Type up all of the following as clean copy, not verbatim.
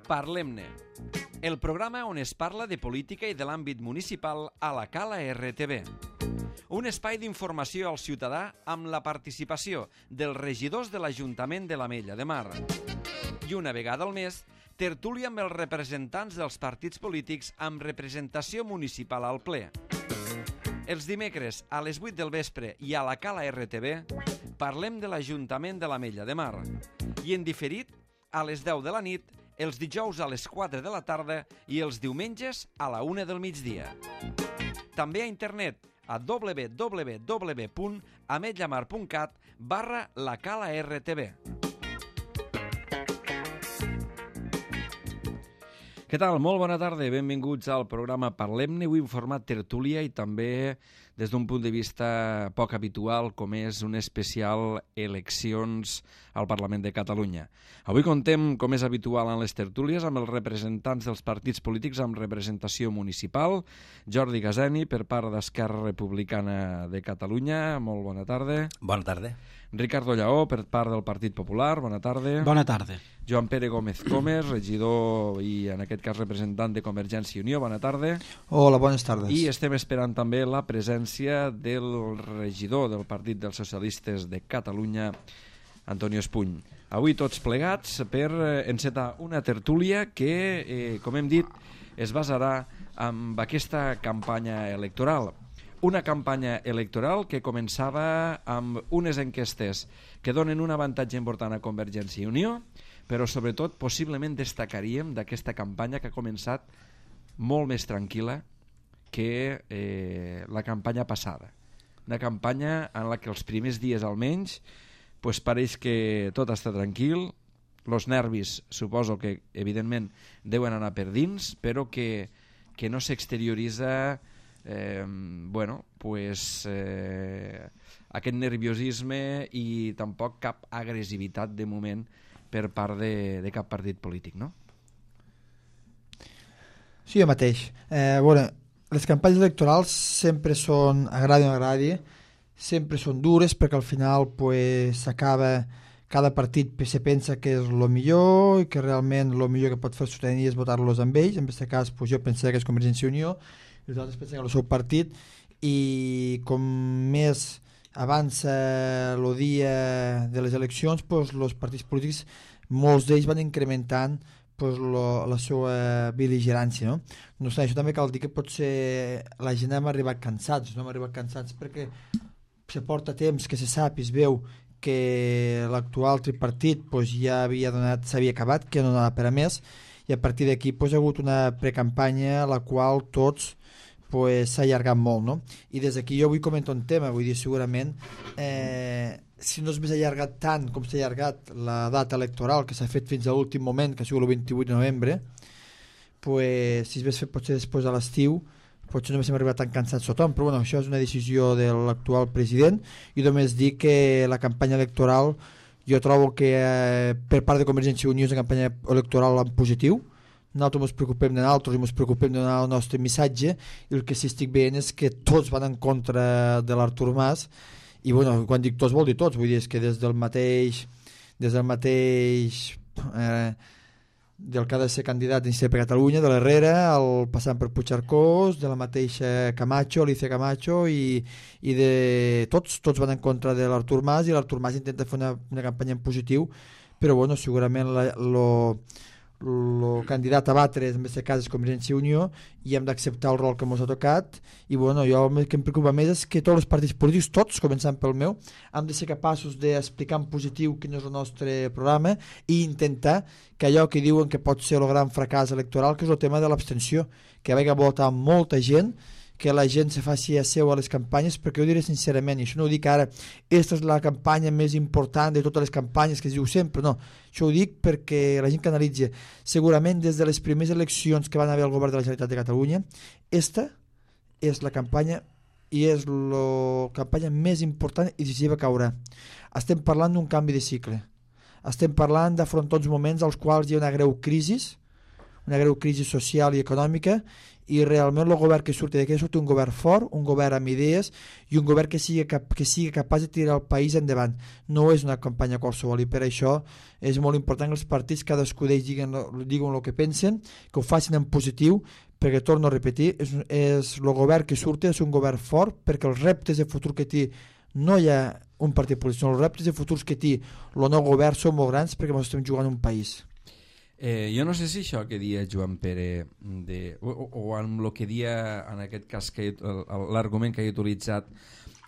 Parlem-ne, el programa on es parla de política i de l'àmbit municipal a la Cala RTV. Un espai d'informació al ciutadà amb la participació dels regidors de l'Ajuntament de l'Ametlla de Mar. I una vegada al mes, tertúlia amb els representants dels partits polítics amb representació municipal al ple. Els dimecres a les 8 del vespre i a la Cala RTV parlem de l'Ajuntament de l'Ametlla de Mar. I en diferit a les 10 de la nit, els dijous a les 4 de la tarda i els diumenges a la 1 del migdia. També a internet a www.ametllamar.cat/lacala-rtv. Què tal? Molt bona tarda, benvinguts al programa Parlem-ne, avui en format tertúlia i també des d'un punt de vista poc habitual, com és un especial eleccions al Parlament de Catalunya. Avui contem, com és habitual en les tertúlies, amb els representants dels partits polítics amb representació municipal. Jordi Gazeni, per part d'Esquerra Republicana de Catalunya, molt bona tarda. Bona tarda. Ricardo Lleó, per part del Partit Popular, bona tarda. Bona tarda. Joan Pere Gómez Comes, regidor i en aquest cas representant de Convergència i Unió, bona tarda. Hola, bones tardes. I estem esperant també la presència del regidor del Partit dels Socialistes de Catalunya, Antonio Espuny. Avui tots plegats per encetar una tertúlia que, com hem dit, es basarà en aquesta campanya electoral. Una campanya electoral que començava amb unes enquestes que donen un avantatge important a Convergència i Unió, però sobretot possiblement destacaríem d'aquesta campanya que ha començat molt més tranquil·la que la campanya passada. Una campanya en la que els primers dies almenys pareix que tot està tranquil, els nervis suposo que evidentment deuen anar per dins, però que no s'exterioritza aquest nerviosisme i tampoc cap agressivitat de moment per part de cap partit polític, no? Sí, jo mateix. Les campanyes electorals sempre són, agradi o no agradi, sempre són dures perquè al final s'acaba, cada partit se pensa que és el millor i que realment el millor que pot fer la ciutadania és votar-los amb ells. En aquest cas jo pensava que és Convergència i Unió i els altres pensen que és el seu partit, i com més avança el dia de les eleccions, els partits polítics, molts d'ells van incrementant la seva bel·ligerància, no? No obstant, això també cal dir que potser la gent hem arribat cansats, perquè se porta temps que se sap i es veu que l'actual tripartit ja s'havia acabat, que no anava per a més, i a partir d'aquí ha hagut una precampanya a la qual tots s'ha allargat molt, no? I des d'aquí jo vull comentar un tema, vull dir, segurament si no és més allargat tant com s'ha allargat la data electoral, que s'ha fet fins a l'últim moment, que ha sigut el 28 de novembre, si es hagués fet potser després de l'estiu, potser no haguéssim arribat tan cansats tothom, però bueno, això és una decisió de l'actual president, i només dir que la campanya electoral jo trobo que per part de Convergència i Unió és una campanya electoral en positiu. Nosaltres ens preocupem de nosaltres i ens preocupem de donar el nostre missatge, i el que sí estic veient és que tots van en contra de l'Artur Mas, i bueno, quan dic tots vol dir tots, vull dir és que des del mateix del que ha de ser candidat d'Iniciativa per Catalunya, de l'Herrera, passant per Puigcercós, de la mateixa Camacho, Alicia Camacho, i de tots van en contra de l'Artur Mas, i l'Artur Mas intenta fer una campanya en positiu, però bueno, segurament el candidat a batre en aquest cas és Convergència i Unió, i hem d'acceptar el rol que ens ha tocat. I bueno, jo el que em preocupa més és que tots els partits polítics, tots, començant pel meu, hem de ser capaços d'explicar en positiu quin és el nostre programa i intentar que allò que diuen que pot ser el gran fracàs electoral, que és el tema de l'abstenció, que vagi a votar molta gent, que la gent se faci a seu a les campanyes, perquè jo diré sincerament, i això no ho dic ara, aquesta és la campanya més important de totes les campanyes que es diu sempre, no, això ho dic perquè la gent que analitza, segurament des de les primeres eleccions que van haver al govern de la Generalitat de Catalunya, esta és la campanya i és la campanya més important i decisiva que haurà. Estem parlant d'un canvi de cicle, estem parlant d'afrontar uns moments als quals hi ha una greu crisi, una greu crisi social i econòmica, i realment el govern que surti d'aquí surt un govern fort, un govern amb idees i un govern que sigui capaç de tirar el país endavant. No és una campanya qualsevol, i per això és molt important que els partits, cadascú d'ells diguen el que pensen, que ho facin en positiu, perquè, torno a repetir, és el govern que surti, és un govern fort, perquè els reptes de futur que té no hi ha un partit polític, els reptes de futurs que té el nou govern són molt grans, perquè ens estem jugant un país. Jo no sé si això que dia Joan Pere o amb el que dia en aquest cas l'argument que he utilitzat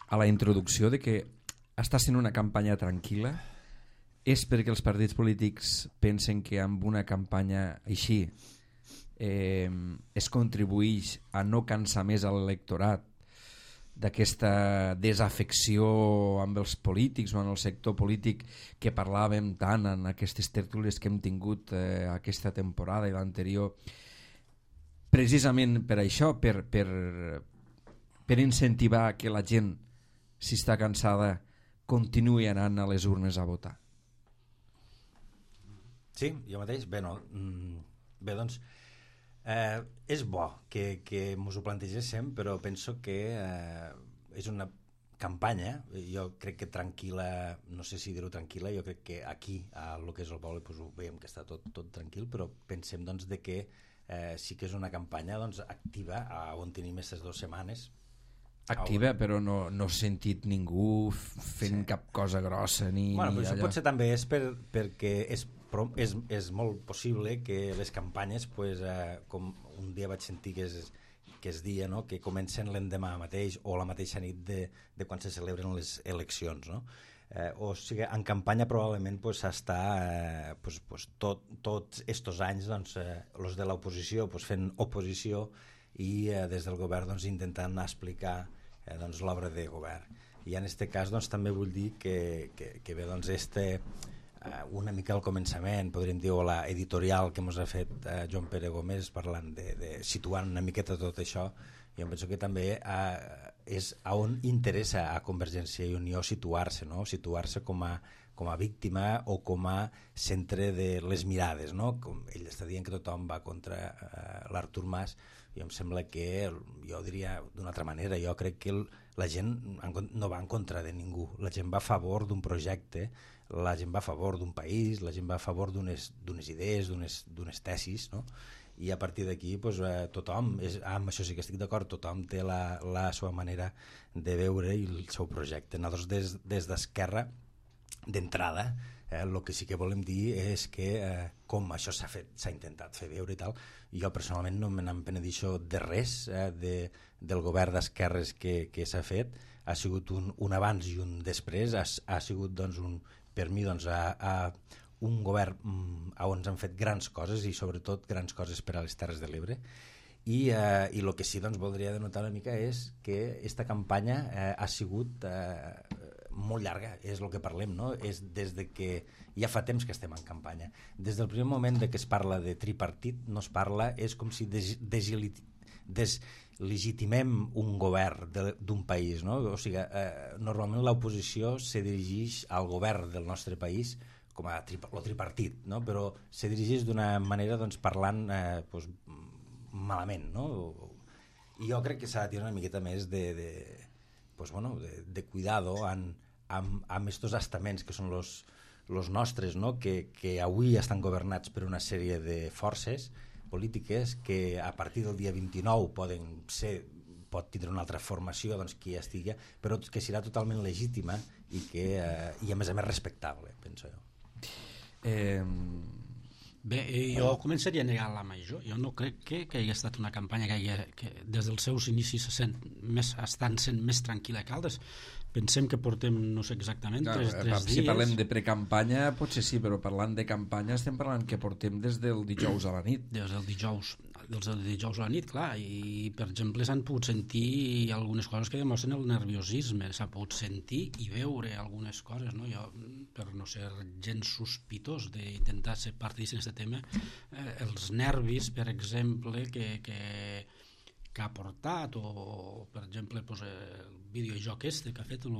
a la introduccció de que està sent una campanya tranquil·la és perquè els partits polítics pensen que amb una campanya així es contribueix a no cansar més a l'electorat d'aquesta desafecció amb els polítics o en el sector polític que parlàvem tant en aquestes tertúlies que hem tingut aquesta temporada i l'anterior, precisament per això, per incentivar que la gent, si està cansada, continuï anant a les urnes a votar. Sí, jo mateix? Bé, doncs és bo que ens ho plantegéssim, però penso que és una campanya, jo crec que tranquil·la, no sé si dir-ho tranquil·la, jo crec que aquí, a lo que és el poble, doncs ho veiem que està tot tranquil, però pensem doncs, de que sí que és una campanya doncs, activa, on tenim aquestes 2 setmanes. Activa, però no he sentit ningú fent cap cosa grossa ni però allò. això potser també és perquè és molt possible que les campanyes, com un dia vaig sentir que es dia, no? Que comencen l'endemà mateix o la mateixa nit de quan se celebren les eleccions, no? O sigui, en campanya probablement s'està tots estos anys els de l'oposició fent oposició i des del govern intentant explicar l'obra de govern. I en aquest cas també vull dir que bé, una mica al començament, podríem dir, o l'editorial que ens ha fet Joan Pere Gómez parlant de situant una miqueta tot això, jo penso que també és on interessa a Convergència i Unió situar-se, no? Situar-se com a víctima o com a centre de les mirades, no? Com ell està dient que tothom va contra l'Artur Mas, i em sembla que, jo diria d'una altra manera, jo crec que la gent no va en contra de ningú, la gent va a favor d'un projecte, la gent va a favor d'un país, la gent va a favor d'unes idees, d'unes tesis, no? I a partir d'aquí tothom, amb això sí que estic d'acord, tothom té la seva manera de veure i el seu projecte. Nosaltres des d'Esquerra, d'entrada, el que sí que volem dir és que com això s'ha intentat fer veure i tal, jo personalment no me n'empenedixo de res del govern d'esquerres que s'ha fet, ha sigut un abans i un després, ha sigut per mi un govern on s'han fet grans coses i sobretot grans coses per a les Terres de l'Ebre, i el que sí voldria denotar una mica és que aquesta campanya ha sigut molt llarga, és el que parlem, no? És des de que ja fa temps que estem en campanya. Des del primer moment que es parla de tripartit, no es parla, és com si deslegitimem un govern d'un país, no? O sigui, normalment l'oposició se dirigeix al govern del nostre país com a tripartit, no? Però se dirigeix d'una manera parlant malament, no? I jo crec que s'ha de tenir una miqueta més de cuidado amb estos estaments que són los nostres, no? Que avui estan governats per una sèrie de forces polítiques que a partir del dia 29 pot tindre una altra formació qui ja estigui, però que serà totalment legítima i a més respectable, penso jo. Bé, jo començaria a negar la major. Jo no crec que hagi estat una campanya que des dels seus inicis estan sent més tranquil·la que altres. Pensem que portem, no sé exactament, tres dies. Si parlem de precampanya potser sí, però parlant de campanya estem parlant que portem des del dijous a la nit. Des del dijous a la nit, clar, i per exemple s'han pogut sentir algunes coses que demostren el nerviosisme, s'ha pogut sentir i veure algunes coses, no? Jo, per no ser gens sospitós d'intentar ser partícip d'aquest tema, els nervis, per exemple, que ha portat, o per exemple exemple, el videojoc que ha fet el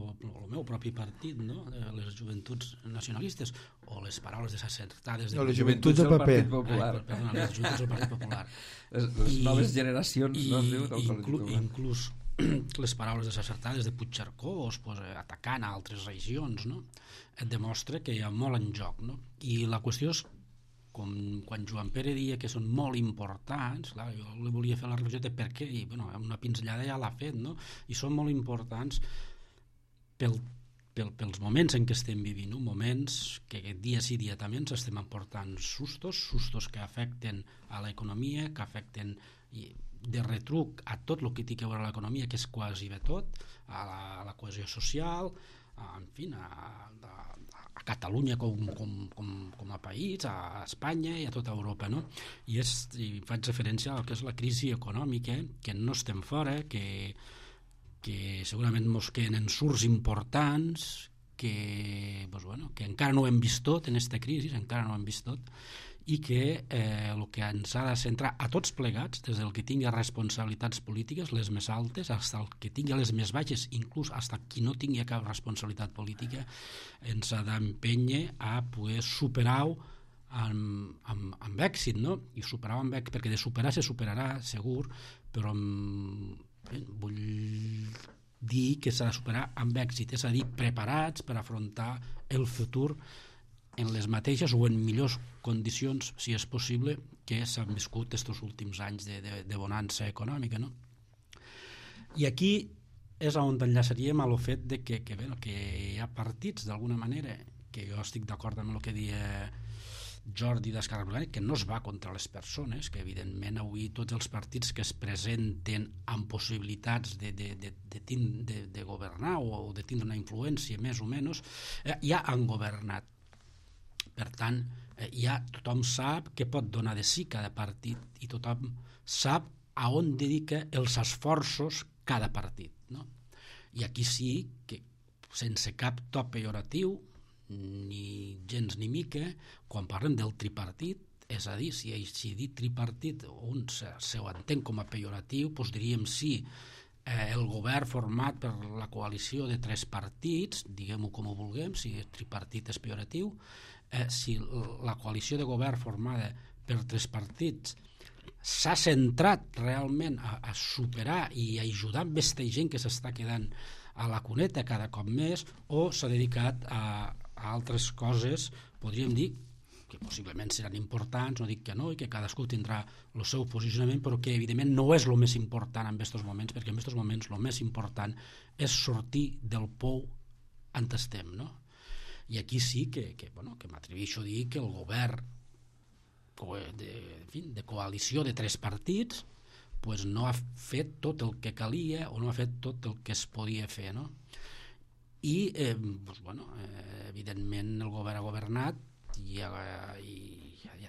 meu propi partit, no? Les joventuts nacionalistes, o les paraules desacertades de... No, les joventuts del paper. Perdona, les joventuts del Partit Popular. Les noves generacions, no es diu, del Partit Popular. Inclús les paraules desacertades de Puigcercós, atacant a altres regions, no? Et demostra que hi ha molt en joc, no? I la qüestió és, com quan Joan Pere deia que són molt importants, clar, jo li volia fer la reflexió de per què, i una pinzellada ja l'ha fet, no? I són molt importants pels moments en què estem vivint, no? Moments que dia sí dia també ens estem emportant sustos que afecten a l'economia, que afecten de retruc a tot el que té a veure l'economia, que és quasi bé tot, a la cohesió social, en fi, a Catalunya com a país, a Espanya i a tota Europa, no? I faig referència al que és la crisi econòmica, que no estem fora, que segurament ens queden ensurts importants, que encara no ho hem vist tot en aquesta crisi, encara no ho hem vist tot, i que el que ens ha de centrar a tots plegats, des del que tingui responsabilitats polítiques, les més altes, fins el que tingui les més baixes, inclús fins qui no tingui cap responsabilitat política, ens ha d'empènyer a poder superar-ho amb èxit, no? I superar-ho amb èxit, perquè de superar se superarà, segur, però vull dir que s'ha de superar amb èxit, és a dir, preparats per afrontar el futur en les mateixes o en millors condicions, si és possible, que s'han viscut aquests últims anys de bonança econòmica, no? I aquí és on enllaçaríem a lo fet de que hi ha partits, d'alguna manera, que jo estic d'acord amb el que deia Jordi d'Esquerra Republicana, que no es va contra les persones, que evidentment avui tots els partits que es presenten amb possibilitats de governar o de tindre una influència més o menys, ja han governat. Per tant, tothom sap què pot donar de si cada partit i tothom sap a on dedica els esforços cada partit, no? I aquí sí que, sense cap to pejoratiu, ni gens ni mica, quan parlem del tripartit, és a dir, si dir tripartit un se ho entén com a pejoratiu, doncs diríem sí, el govern format per la coalició de 3 partits, diguem-ho com ho vulguem, si tripartit és pejoratiu, si la coalició de govern formada per 3 partits s'ha centrat realment a superar i a ajudar amb aquesta gent que s'està quedant a la cuneta cada cop més, o s'ha dedicat a altres coses, podríem dir, que possiblement seran importants, no dic que no, i que cadascú tindrà el seu posicionament, però que evidentment no és el més important en aquests moments, perquè en aquests moments el més important és sortir del pou on estem, no? I aquí sí que m'atreveixo a dir que el govern de coalició de 3 partits no ha fet tot el que calia o no ha fet tot el que es podia fer, no? I evidentment el govern ha governat i ha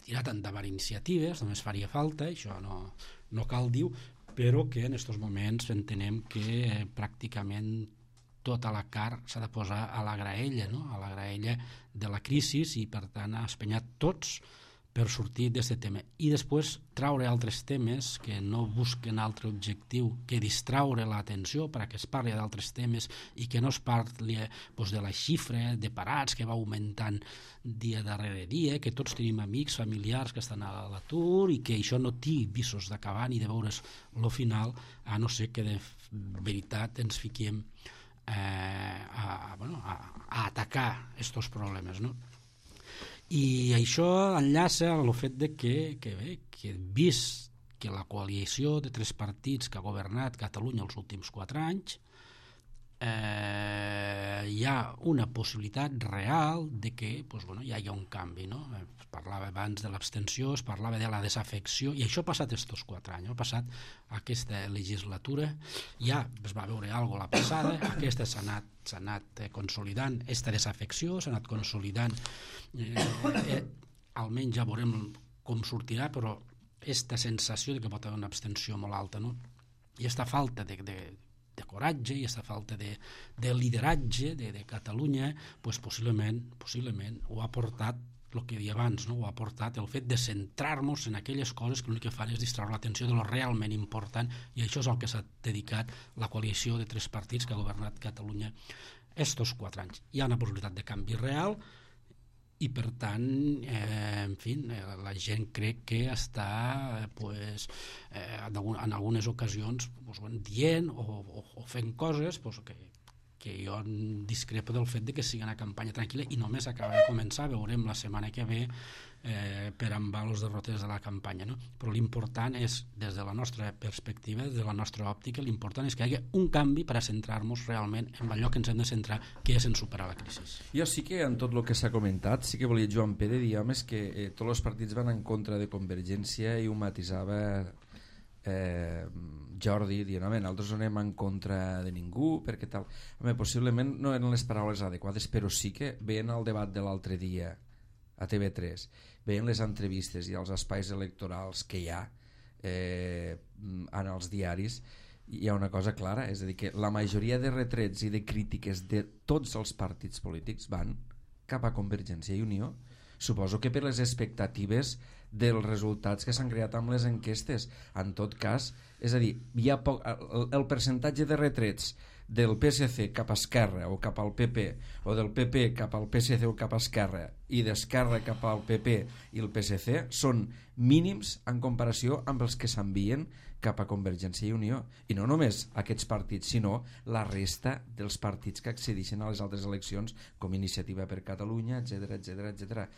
tirat endavant iniciatives, només faria falta, això no cal dir, però que en aquests moments entenem que pràcticament tota la carn s'ha de posar a la graella, no? A la graella de la crisi, i per tant ha espenyat tots per sortir d'aquest tema. I després traure altres temes que no busquen altre objectiu que distraure l'atenció perquè es parli d'altres temes i que no es parli de la xifra de parats que va augmentant dia darrere dia, que tots tenim amics, familiars que estan a l'atur i que això no té visos d'acabar ni de veure's el final, a no ser que de veritat ens fiquem a atacar aquests problemes, no? I això enllaça al fet de que vist que la coalició de 3 partits que ha governat Catalunya els últims 4 anys hi ha una possibilitat real de que hi hagi un canvi, no? Es parlava abans de l'abstenció, es parlava de la desafecció, i això ha passat aquests 4 anys, ha passat aquesta legislatura, ja es va veure alguna cosa la passada, aquesta s'ha anat consolidant, aquesta desafecció s'ha anat consolidant, almenys ja veurem com sortirà, però aquesta sensació de que pot haver una abstenció molt alta, no? I aquesta falta de coratge i aquesta falta de lideratge de Catalunya, possiblement ho ha portat el que deia abans, no? Ho ha portat el fet de centrar-nos en aquelles coses que l'únic que fan és distreure l'atenció de lo realment important, i això és el que s'ha dedicat la coalició de 3 partits que ha governat Catalunya estos 4 anys. Hi ha una possibilitat de canvi real i per tant, en fi, la gent crec que està en algunes ocasions dient o fent coses que jo discrepo del fet de que sigui una campanya tranquil·la i només acaba de començar, veurem la setmana que ve per on van les derrotes de la campanya, no? Però l'important és, des de la nostra perspectiva, des de la nostra òptica, l'important és que hi hagi un canvi per a centrar-nos realment en allò que ens hem de centrar, que és en superar la crisi. Jo sí que en tot el que s'ha comentat, sí que volia Joan Pere dir, home, és que tots els partits van en contra de Convergència i ho matisava Jordi dient, home, nosaltres no anem en contra de ningú perquè tal, home, possiblement no eren les paraules adequades, però sí que veient el debat de l'altre dia a TV3, veient les entrevistes i els espais electorals que hi ha en els diaris, hi ha una cosa clara, és a dir, que la majoria de retrets i de crítiques de tots els partits polítics van cap a Convergència i Unió. Suposo que per les expectatives dels resultats que s'han creat amb les enquestes. En tot cas, és a dir, hi ha el percentatge de retrets del PSC cap a Esquerra o cap al PP, o del PP cap al PSC o cap a Esquerra, i d'Esquerra cap al PP i el PSC són mínims en comparació amb els que s'envien cap a Convergència i Unió. I no només aquests partits, sinó la resta dels partits que accedeixen a les altres eleccions, com Iniciativa per Catalunya, etc.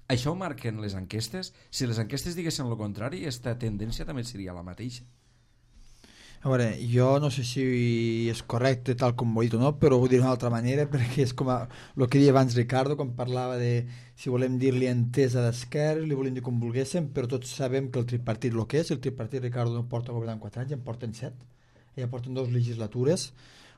Això ho marquen les enquestes? Si les enquestes diguessin el contrari, aquesta tendència també seria la mateixa. A veure, jo no sé si és correcte tal com ho he dit o no, però ho diré d'una altra manera, perquè és com el que deia abans Ricardo, quan parlava de si volem dir-li entesa d'esquerra, li volem dir com volguéssim, però tots sabem que el tripartit el que és, el tripartit, Ricardo, no porta governant 4 anys, en porten 7, ja porten 2 legislatures,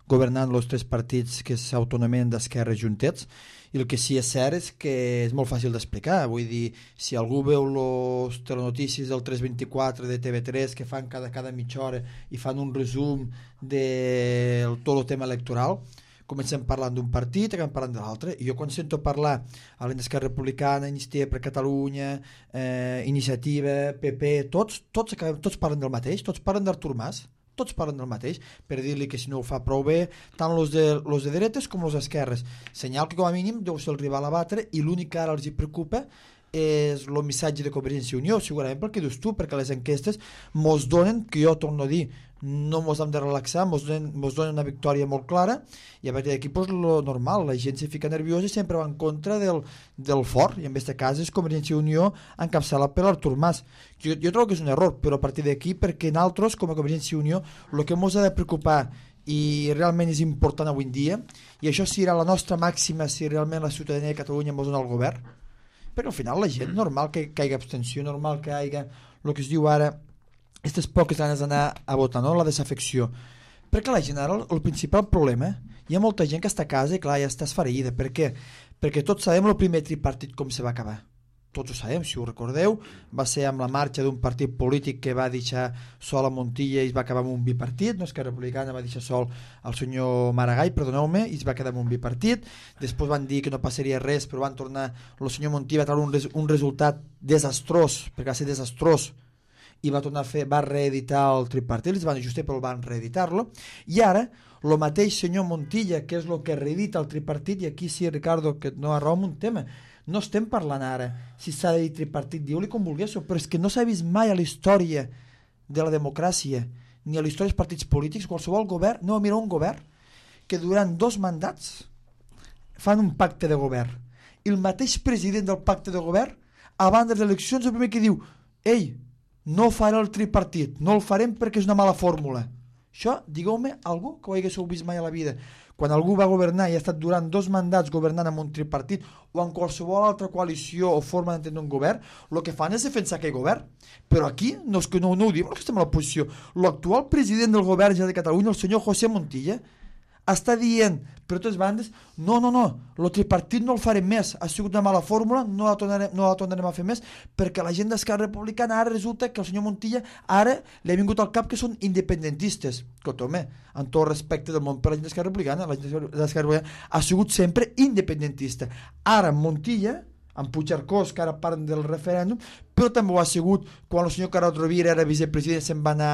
governant els 3 partits que s'autonomen d'esquerra juntets, i el que sí és cert és que és molt fàcil d'explicar. Vull dir, si algú veu les telenotícies del 324 de TV3 que fan cada mitja hora i fan un resum de tot el tema electoral, comencem parlant d'un partit, acabem parlant de l'altre, i jo quan sento parlar a l'Esquerra Republicana, Iniciativa per Catalunya, Iniciativa, PP, tots parlen del mateix, tots parlen d'Artur Mas, tots parlen del mateix, per dir-li que si no ho fa prou bé, tant los de dretes com los d'esquerres. Senyal que com a mínim deu ser el rival a batre, i l'únic que ara els hi preocupa és el missatge de Convergència i Unió, segurament perquè dius tu, perquè les enquestes mos donen, que jo torno a dir, no mos hem de relaxar, mos donen una victòria molt clara, i a partir d'aquí pues, lo normal, la gent se fica nerviosa i sempre va en contra del fort, i en aquest cas és Convergència i Unió encapçalat per Artur Mas. Jo trobo que és un error, però a partir d'aquí, perquè nosaltres, com a Convergència i Unió, el que ens ha de preocupar i realment és important avui en dia, i això serà la nostra màxima si realment la ciutadania de Catalunya ens dona el govern, perquè al final la gent, normal que hi hagi abstenció, normal que hi hagi el que es diu ara aquestes poques ganes d'anar a votar, no? La desafecció, perquè la gent ara el principal problema, hi ha molta gent que està a casa i clar, ja està esfereïda. Per què? Perquè tots sabem el primer tripartit com se va acabar, tots ho sabem, si ho recordeu, va ser amb la marxa d'un partit polític que va deixar sol a Montilla i es va acabar amb un bipartit, no? Esquerra Republicana va deixar sol al senyor Maragall, perdoneu-me, i es va quedar amb un bipartit, després van dir que no passaria res, però van tornar, el senyor Montilla va treure un resultat desastrós, perquè va ser desastrós, i va tornar a fer, va reeditar el tripartit, els van ajustar però van reeditar-lo, i ara el mateix senyor Montilla, que és el que reedita el tripartit, i aquí sí, Ricardo, que no arroba un tema, no estem parlant ara si s'ha de dir tripartit, diu-li com volguéssiu, però és que no s'ha vist mai a la història de la democràcia ni a la història dels partits polítics, qualsevol govern, no, mira, un govern que durant 2 mandats fan un pacte de govern, i el mateix president del pacte de govern abans de les eleccions el primer que diu, ei, no farà el tripartit, no el farem perquè és una mala fórmula. Això, digueu-me algú que ho haguéssiu vist mai a la vida. Quan algú va governar i ha estat durant 2 mandats governant amb un tripartit o en qualsevol altra coalició o forma d'entendre un govern, el que fan és defensar aquell govern. Però aquí no ho diuen que estem a l'oposició. L'actual president del govern de Catalunya, el senyor José Montilla, està dient per totes bandes, no, el tripartit no el farem més, ha sigut una mala fórmula, no la tornarem a fer més, perquè la gent d'Esquerra Republicana ara resulta que el senyor Montilla ara li ha vingut al cap que són independentistes. Home, amb tot respecte del món per la gent d'Esquerra Republicana, la gent d'Esquerra Republicana ha sigut sempre independentista. Ara Montilla, amb Puigcercós, que ara parlen del referèndum, però també ho ha sigut quan el senyor Carod Rovira era vicepresident se'n va anar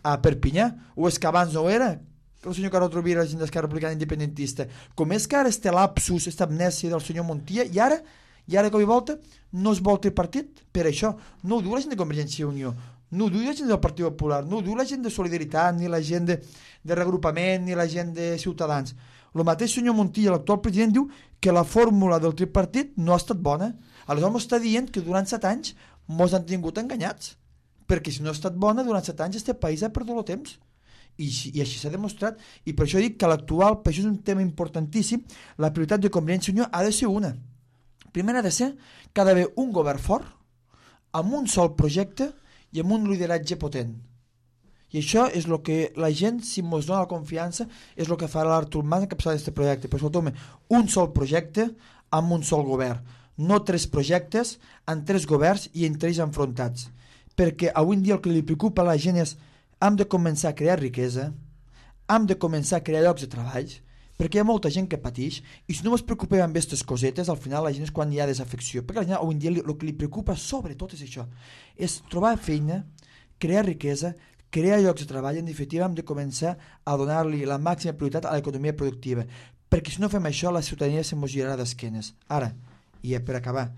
a Perpinyà, o és que abans no ho era, que el senyor Carod Rovira era gent d'Esquerra Republicana Independentista. Com és que ara este lapsus, esta amnèsia del senyor Montilla, i ara cop i volta no es vol tripartit per això. No ho diu la gent de Convergència i Unió, no ho diu la gent del Partit Popular, no ho diu la gent de Solidaritat, ni la gent de Regrupament, ni la gent de Ciutadans. El mateix senyor Montilla, l'actual president, diu que la fórmula del tripartit no ha estat bona. Aleshores m'està dient que durant 7 anys mos han tingut enganyats, perquè si no ha estat bona, durant 7 anys este país ha perdut el temps. I així s'ha demostrat, i per això dic que l'actual, per això és un tema importantíssim, la prioritat de Convergència i Unió ha de ser una. Primer ha de ser que ha d'haver un govern fort, amb un sol projecte i amb un lideratge potent. I això és el que la gent, si ens dona la confiança, és el que farà l'Artur Mas encapçalar aquest projecte. Però sobretot, un sol projecte amb un sol govern, no 3 projectes amb 3 governs i entre ells enfrontats. Perquè avui en dia el que li preocupa a la gent és hem de començar a crear riquesa, hem de començar a crear llocs de treball, perquè hi ha molta gent que pateix, i si no ens preocupem amb aquestes cosetes, al final la gent és quan hi ha desafecció, perquè la gent avui en dia el que li preocupa sobretot és això, és trobar feina, crear riquesa, crear llocs de treball. En definitiva hem de començar a donar-li la màxima prioritat a l'economia productiva, perquè si no fem això la ciutadania se mos girarà d'esquenes. Ara, i per acabar,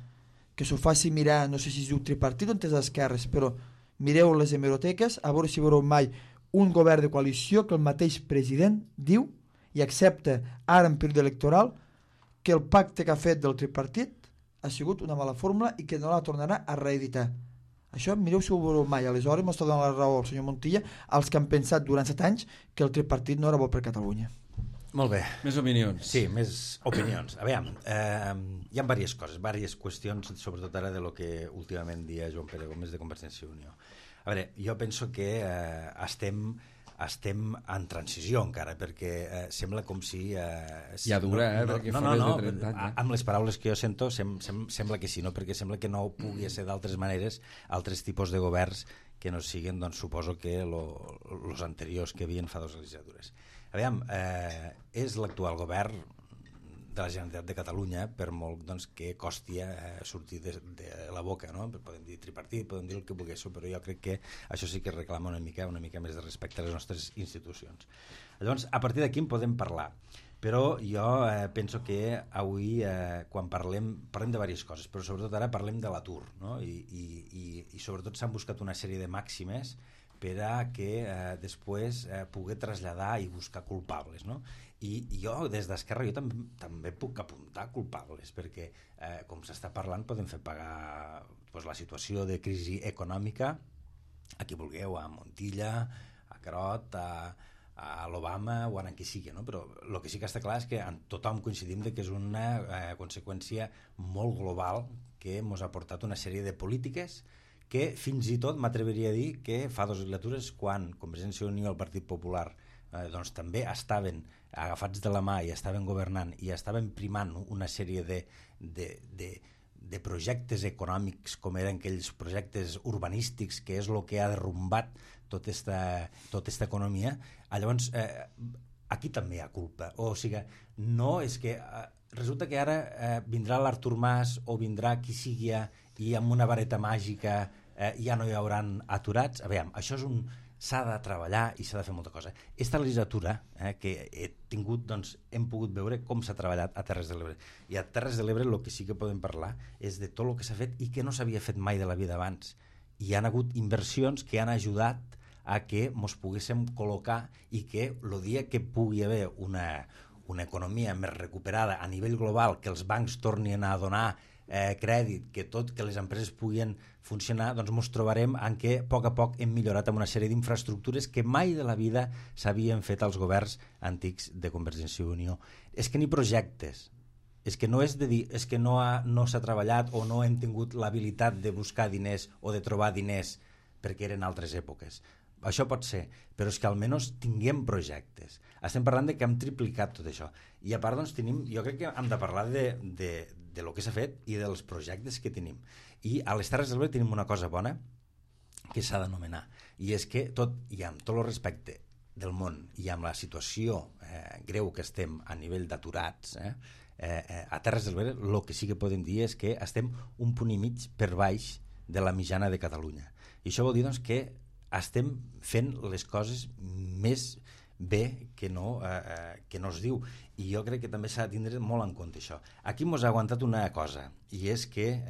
que s'ho faci mirar, no sé si es diu tripartit o en les esquerres, però mireu les hemeroteques, a veure si veureu mai un govern de coalició que el mateix president diu i accepta ara en període electoral que el pacte que ha fet del tripartit ha sigut una mala fórmula i que no la tornarà a reeditar. Això mireu si ho veureu mai. Aleshores m'està donant la raó el senyor Montilla als que han pensat durant 7 anys que el tripartit no era bo per Catalunya. Molt bé. Més opinions. Sí, més opinions. A veure, hi ha diverses coses, diverses qüestions, sobretot ara de lo que últimament dia Joan Pere Gómez de Convergència i Unió. A veure, jo penso que estem en transició encara, perquè sembla com si... Ja dura, perquè fa més de 30 anys. Amb les paraules que jo sento, sembla que sí, no? Perquè sembla que no pugui ser d'altres maneres altres tipus de governs que no siguin, doncs, suposo que els anteriors que havien fa 2 legislatures. A veure, és l'actual govern de la Generalitat de Catalunya, per molt doncs, que costi sortir de la boca, no? Podem dir tripartit, podem dir el que vulguéssiu, però jo crec que això sí que reclama una mica més de respecte a les nostres institucions. Llavors, a partir d'aquí en podem parlar, però jo penso que avui, quan parlem de diverses coses, però sobretot ara parlem de l'atur, no? I sobretot s'han buscat una sèrie de màximes per a que després pugui traslladar i buscar culpables, no? I jo des d'Esquerra també puc apuntar culpables, perquè com s'està parlant podem fer pagar la situació de crisi econòmica a qui vulgueu, a Montilla, a Carod, a l'Obama o a qui sigui, no? Però el que sí que està clar és que tothom coincidim que és una conseqüència molt global que ens ha portat una sèrie de polítiques que fins i tot m'atreviria a dir que fa 2 legislatures, quan Convergència i Unió i el Partit Popular doncs també estaven agafats de la mà i estaven governant i estaven primant una sèrie de projectes econòmics, com eren aquells projectes urbanístics, que és el que ha derrumbat tota esta economia. Llavors aquí també hi ha culpa, o sigui, no és que resulta que ara vindrà l'Artur Mas o vindrà qui sigui i amb una vareta màgica ja no hi hauran aturats. A veure, això s'ha de treballar i s'ha de fer molta cosa. Esta legislatura que he tingut, doncs, hem pogut veure com s'ha treballat a Terres de l'Ebre. I a Terres de l'Ebre el que sí que podem parlar és de tot el que s'ha fet i que no s'havia fet mai de la vida abans. Hi han hagut inversions que han ajudat a que ens poguéssim col·locar i que el dia que pugui haver una economia més recuperada a nivell global, que els bancs tornin a donar crèdit, que les empreses puguin funcionar, doncs ens trobarem en què a poc hem millorat amb una sèrie d'infraestructures que mai de la vida s'havien fet als governs antics de Convergència i Unió. És que ni projectes, és que no és de dir, és que no s'ha treballat o no hem tingut l'habilitat de buscar diners o de trobar diners perquè eren altres èpoques. Això pot ser, però és que almenys tinguem projectes. Estem parlant que hem triplicat tot això. I a part, doncs, jo crec que hem de parlar de lo que s'ha fet i dels projectes que tenim. I a les Terres de l'Ebre tenim una cosa bona que s'ha d'anomenar, i és que i amb tot el respecte del món i amb la situació greu que estem a nivell d'aturats, A Terres de l'Ebre el que sí que podem dir és que estem un punt i mig per baix de la mitjana de Catalunya. I això vol dir doncs, que estem fent les coses més bé que no es diu. I jo crec que també s'ha de tindre molt en compte això. Aquí mos ha aguantat una cosa, i és que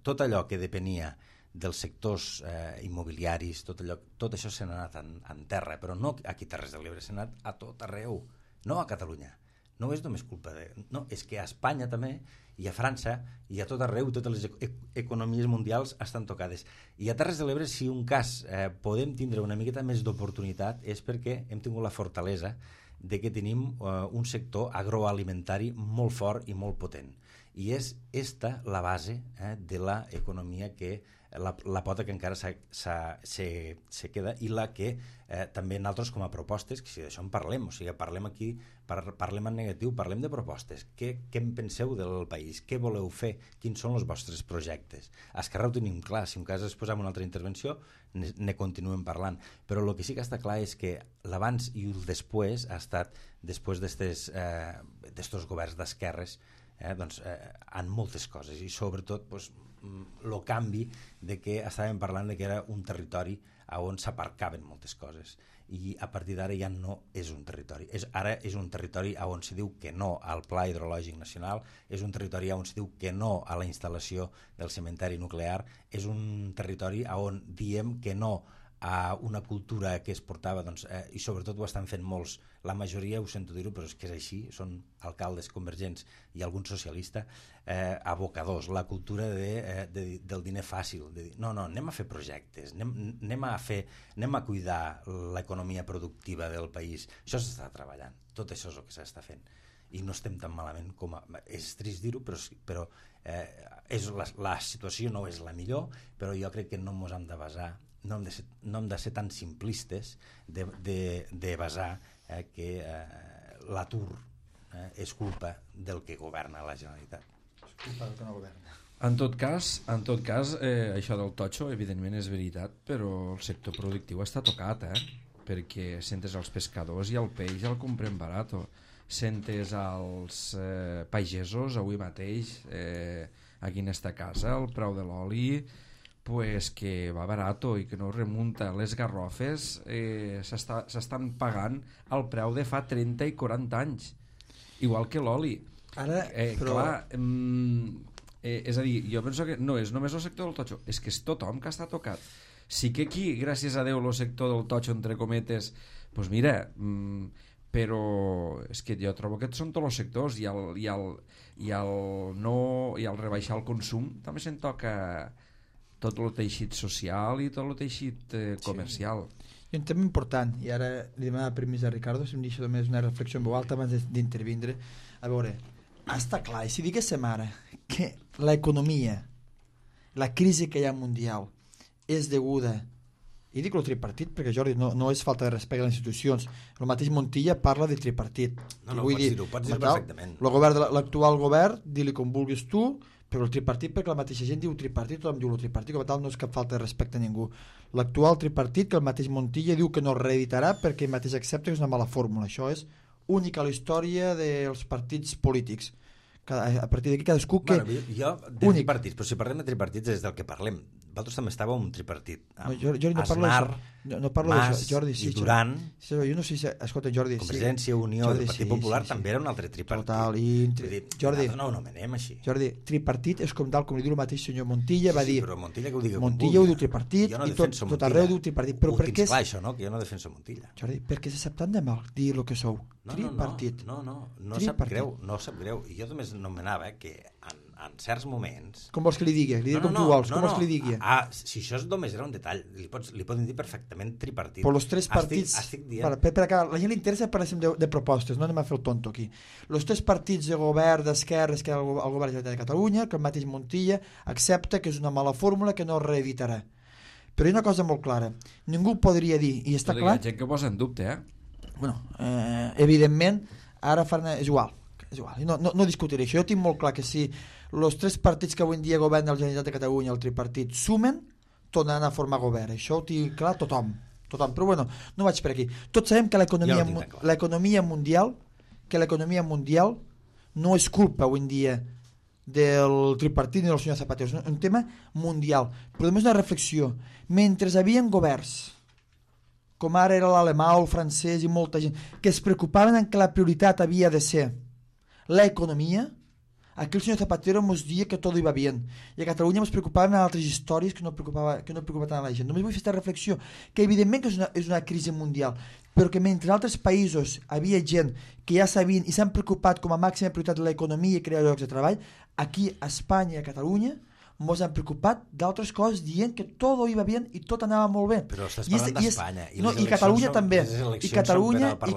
tot allò que depenia dels sectors immobiliaris, tot això s'ha anat en terra, però no aquí a Terres de l'Ebre, s'ha anat a tot arreu, no a Catalunya. No és només culpa no, és que a Espanya també, i a França, i a tot arreu, totes les economies mundials estan tocades. I a Terres de l'Ebre, si un cas podem tindre una miqueta més d'oportunitat, és perquè hem tingut la fortalesa de que tenim un sector agroalimentari molt fort i molt potent. I és esta la base de l'economia que la pota que encara se queda i la que també nosaltres com a propostes, que si d'això en parlem, o sigui, parlem aquí, parlem en negatiu, parlem de propostes. Què en penseu del país? Què voleu fer? Quins són els vostres projectes? A Esquerra ho tenim clar, si un cas es posa en una altra intervenció ne continuem parlant, però el que sí que està clar és que l'abans i el després ha estat, després d'estos governs d'esquerres, doncs, en moltes coses, i sobretot el canvi de que estàvem parlant de que era un territori on s'aparcaven moltes coses, i a partir d'ara ja no és un territori, ara és un territori on se diu que no al Pla Hidrològic Nacional, és un territori on se diu que no a la instal·lació del cementeri nuclear, és un territori on diem que no a una cultura que es portava, doncs, i sobretot ho estan fent molts, la majoria, ho sento dir-ho, però és que és així, són alcaldes convergents i algun socialista, abocadors, la cultura del diner fàcil, de dir, no, anem a fer projectes, anem a cuidar l'economia productiva del país, això s'està treballant, tot això és el que s'està fent, i no estem tan malament com és trist dir-ho, però la situació no és la millor, però jo crec que no ens hem de basar, no hem de ser tan simplistes de basar que l'atur és culpa del que governa la Generalitat. És culpa del que no governa. En tot cas, això del totxo evidentment és veritat, però el sector productiu està tocat, perquè sentes els pescadors i el peix el comprem barat, sentes als pagesos avui mateix aquí en esta casa el preu de l'oli pues que va barato i que no remunta. Les garrofes s'estan pagant al preu de fa 30 i 40 anys, igual que l'oli. Ara, però... Clar, és a dir, jo penso que no és només el sector del totxo, és que és tothom que està tocat. Sí que aquí, gràcies a Déu, el sector del totxo, entre cometes, doncs mira, però és que jo trobo que són tots els sectors, i el rebaixar el consum també se'n toca tot el teixit social i tot el teixit comercial. Sí. I un tema important, i ara li demanava permís a Ricardo, si em deixa només una reflexió en veu alta abans d'intervindre. A veure, està clar, i si diguéssim ara que l'economia, la crisi que hi ha mundial és deguda, i dic el tripartit perquè Jordi no és falta de respecte a les institucions, el mateix Montilla parla de tripartit. No, pots dir-ho perfectament. L'actual govern, di-li com vulguis tu, però el tripartit, perquè la mateixa gent diu tripartit, tothom diu el tripartit, com a tal no és cap falta de respecte a ningú. L'actual tripartit, que el mateix Montilla diu que no es reeditarà perquè ell mateix accepta que és una mala fórmula. Això és única a la història dels partits polítics. A partir d'aquí cadascú que... Jo de tripartits, però si parlem de tripartits és del que parlem. Vosaltres també estàveu en un tripartit. Jordi, no parlo Aznar, no parlo Mas Jordi, sí, i Duran. Sí, jo no sé si... Escolta, Jordi... Convergència, Unió, Jordi, el Partit Popular també era un altre tripartit. Total, Jordi, no ho anomenem així. Jordi, tripartit és com li diu el mateix senyor Montilla, va dir... Sí, però Montilla que ho digui Montilla ho diu tripartit i tot arreu diu tripartit. Però per què clar, això, no? Que jo no defenso Montilla. Jordi, perquè se sap tant de mal dir el que sou. Tripartit. No sap greu. I jo només nomenava que en certs moments... Com vols que li digui? Li diré com tu vols. Com vols que li digui? Si això només era un detall, li poden dir perfectament tripartit. Però els tres partits... Estic dient... Per acá, la gent li interessa parlem de propostes, no anem a fer el tonto aquí. Els tres partits de govern d'esquerres que hi ha al govern de la Generalitat de Catalunya, que el mateix Montilla accepta que és una mala fórmula que no es reeditarà. Però hi ha una cosa molt clara. Ningú podria dir, i està clar... Hi ha gent que ho posa en dubte, Bueno, evidentment, ara és igual. No discutiré això. Jo tinc molt clar que si els tres partits que avui en dia governen la Generalitat de Catalunya, el tripartit, sumen, tornaran a formar govern. Això ho tinc clar tothom. Però bueno, no vaig per aquí. Tots sabem que l'economia mundial no és culpa avui en dia del tripartit ni del senyor Zapatero, és un tema mundial. Però només una reflexió. Mentre hi havia governs, com ara era l'alemà o el francès i molta gent, que es preocupaven en que la prioritat havia de ser l'economia, aquí el senyor Zapatero ens dia que tot iba bien. I a Catalunya ens preocupaven en altres històries que no preocupaven tant a la gent. Només vull fer aquesta reflexió, que evidentment que és una crisi mundial, però que mentre altres països havia gent que ja sabien i s'han preocupat com a màxima prioritat l'economia i crear llocs de treball, aquí a Espanya i a Catalunya ens han preocupat d'altres coses dient que tot iba bien i tot anava molt bé. Però estàs parlant d'Espanya. I Catalunya també. I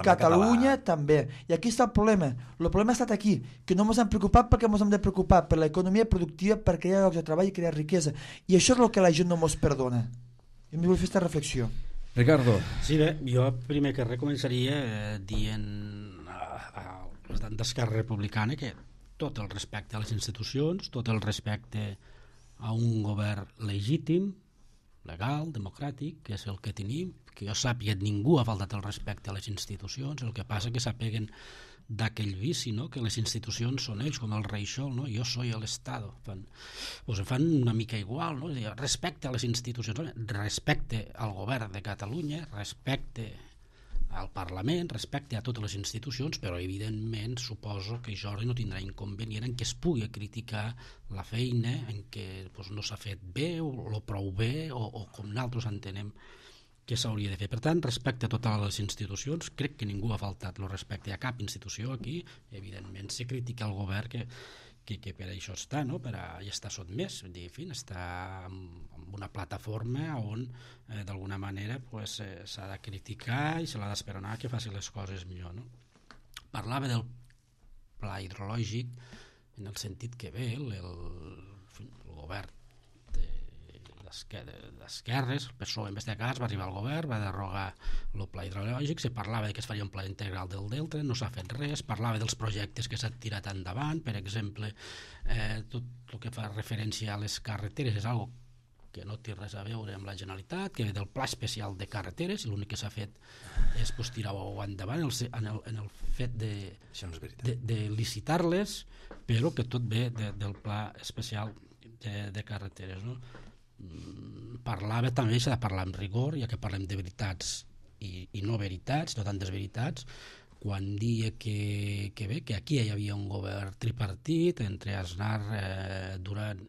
Catalunya també. I aquí està el problema. El problema ha estat aquí, que no ens han preocupat perquè ens hem de preocupar per l'economia productiva, per crear llocs de treball i crear riquesa. I això és el que la gent no ens perdona. I em vull fer aquesta reflexió. Ricardo. Sí, bé, jo primer que res començaria dient al president d'Esquerra Republicana que tot el respecte a les institucions, tot el respecte a un govern legítim, legal, democràtic, que és el que tenim, que jo sàpiga ningú ha faltat el respecte a les institucions, el que passa que s'apeguen d'aquell vici, no? Que les institucions són ells, com el rei Sol, no? Jo soy el Estado. Fan una mica igual, no? Respecte a les institucions, respecte al govern de Catalunya, respecte al Parlament, respecte a totes les institucions, però evidentment suposo que Jordi no tindrà inconvenient en què es pugui criticar la feina en què no s'ha fet bé o prou bé o com nosaltres entenem que s'hauria de fer. Per tant, respecte a totes les institucions, crec que ningú ha faltat el respecte a cap institució aquí. Evidentment se critica el govern que per això està, no? Per a estar sotmès, en fi, està en una plataforma on d'alguna manera s'ha de criticar i se l'ha d'esperonar que faci les coses millor, no? Parlava del pla hidrològic en el sentit que bé el govern d'esquerres, el PSOE en este cas va arribar al govern, va derogar el pla hidrològic, se parlava que es faria un pla integral del delta, no s'ha fet res, parlava dels projectes que s'han tirat endavant, per exemple tot el que fa referència a les carreteres és algo que no té res a veure amb la Generalitat, que ve del pla especial de carreteres, i l'únic que s'ha fet és tirar-ho endavant en el fet de licitar-les, però que tot ve del pla especial de carreteres, no? Parlava també, s'ha de parlar amb rigor, ja que parlem de veritats i no veritats, no tantes veritats, quan dia que aquí hi havia un govern tripartit entre Aznar, Duran,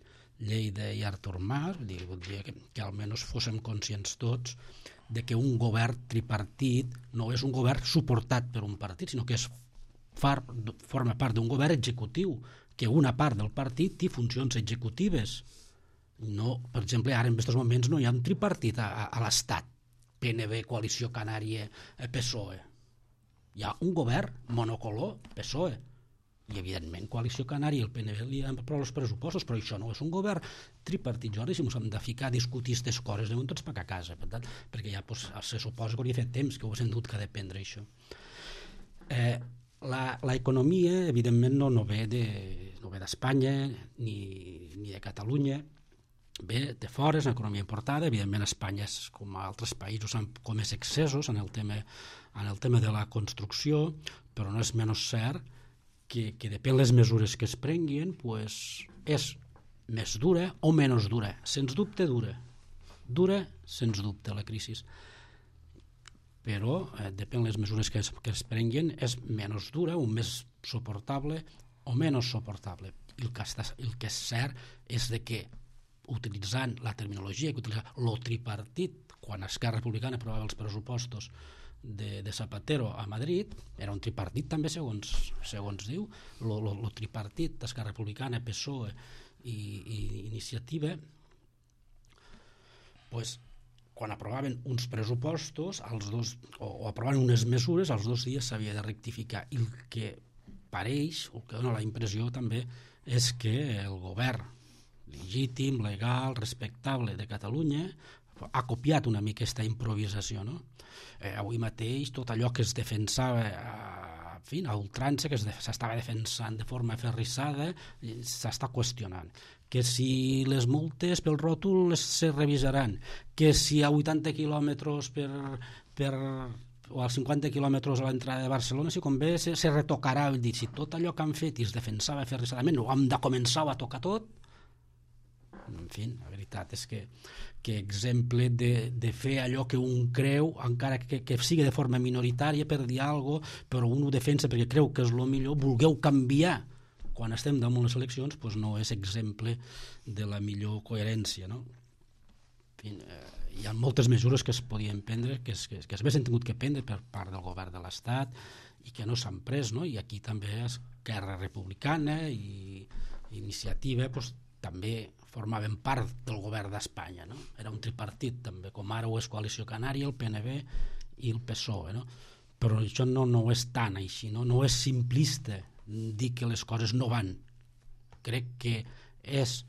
Lleida i Artur Mas, voldria que almenys fóssim conscients tots de que un govern tripartit no és un govern suportat per un partit, sinó que forma part d'un govern executiu, que una part del partit té funcions executives. No, per exemple, ara en aquests moments no hi ha un tripartit a l'Estat, PNB, Coalició Canària, PSOE. Hi ha un govern monocolor, PSOE, i evidentment Coalició Canària i el PNB li han aprovat els pressupostos, però això no és un govern tripartit. Jordi, si ens hem de ficar a discutir aquestes coses, anem tots per a casa, per tant, perquè ja se suposa que hauria fet temps que ho haguéssim dut que dependre això. L'economia, evidentment, no ve d'Espanya ni de Catalunya, ve de fora, és una economia importada. Evidentment Espanya, com a altres països, han comès excessos en el tema de la construcció, però no és menys cert que depèn les mesures que es prenguin, és més dura o menys dura. Sens dubte dura sens dubte la crisi, però depèn les mesures que es prenguin, és menys dura o més suportable o menys suportable. El que és cert és que utilitzant la terminologia que utilitzava el tripartit quan Esquerra Republicana aprovava els pressupostos de Zapatero a Madrid, era un tripartit també segons diu, el tripartit d'Esquerra Republicana, PSOE i Iniciativa, quan aprovaven uns pressupostos o aprovaven unes mesures, als 2 dies s'havia de rectificar, i el que pareix, el que dona la impressió també, és que el govern legítim, legal, respectable de Catalunya ha copiat una mica aquesta improvisació, no? Avui mateix tot allò que es defensava a ultrança, que s'estava defensant de forma aferrissada, s'està qüestionant. Que si les multes pel ròtol se revisaran, que si a 80 quilòmetres per o als 50 quilòmetres a l'entrada de Barcelona, si convé se retocarà, dir, si tot allò que han fet i es defensava aferrissadament ho hem de començar a tocar tot. En fi, la veritat és que exemple de fer allò que un creu, encara que sigui de forma minoritària per dir alguna cosa, però un ho defensa perquè creu que és el millor, vulgueu canviar quan estem damunt les eleccions, doncs no és exemple de la millor coherència, no? En fi, hi ha moltes mesures que es podien prendre, que es haguessin tingut que prendre per part del govern de l'Estat i que no s'han pres, no? I aquí també Esquerra Republicana i Iniciativa doncs, també formaven part del govern d'Espanya, no? Era un tripartit també, com ara ho és Coalició Canària, el PNB i el PSOE, no? Però això no és tan així, no és simplista dir que les coses no van. Crec que és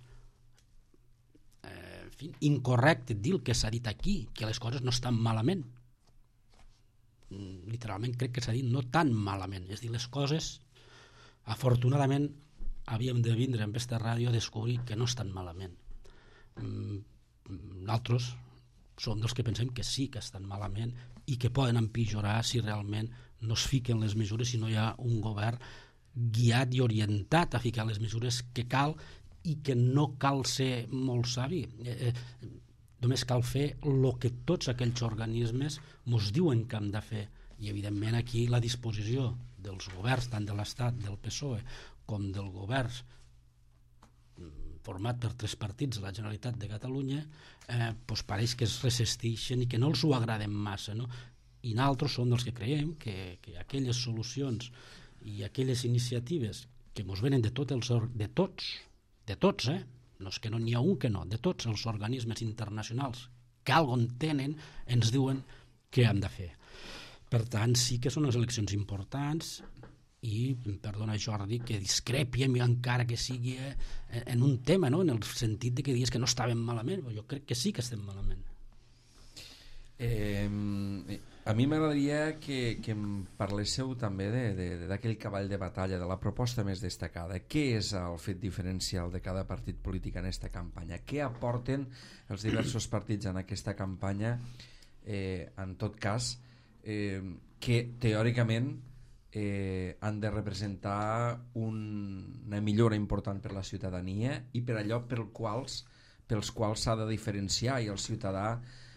incorrecte dir el que s'ha dit aquí, que les coses no estan malament. Literalment crec que s'ha dit no tan malament, és dir, les coses afortunadament havíem de vindre amb aquesta ràdio a descobrir que no estan malament. Nosaltres som dels que pensem que sí que estan malament i que poden empitjorar si realment no es fiquen les mesures, si no hi ha un govern guiat i orientat a ficar les mesures que cal i que no cal ser molt savi. Només cal fer el que tots aquells organismes ens diuen que hem de fer. I evidentment aquí la disposició dels governs, tant de l'Estat, del PSOE, com del govern format per 3 partits de la Generalitat de Catalunya, doncs pareix que es resisteixen i que no els ho agraden massa, no? I nosaltres som dels que creiem que aquelles solucions i aquelles iniciatives que ens venen de tots, no és que no n'hi ha un que no, de tots els organismes internacionals que algun tenen, ens diuen què hem de fer. Per tant, sí que són unes eleccions importants i, perdona Jordi, que discrepiem encara que sigui en un tema, no? En el sentit de que dius que no estàvem malament, però jo crec que sí que estem malament. A mi m'agradaria que em parléssiu també d'aquell cavall de batalla, de la proposta més destacada. Què és el fet diferencial de cada partit polític en aquesta campanya? Què aporten els diversos partits en aquesta campanya, en tot cas, que teòricament han de representar una millora important per la ciutadania i per allò pels quals s'ha de diferenciar i el ciutadà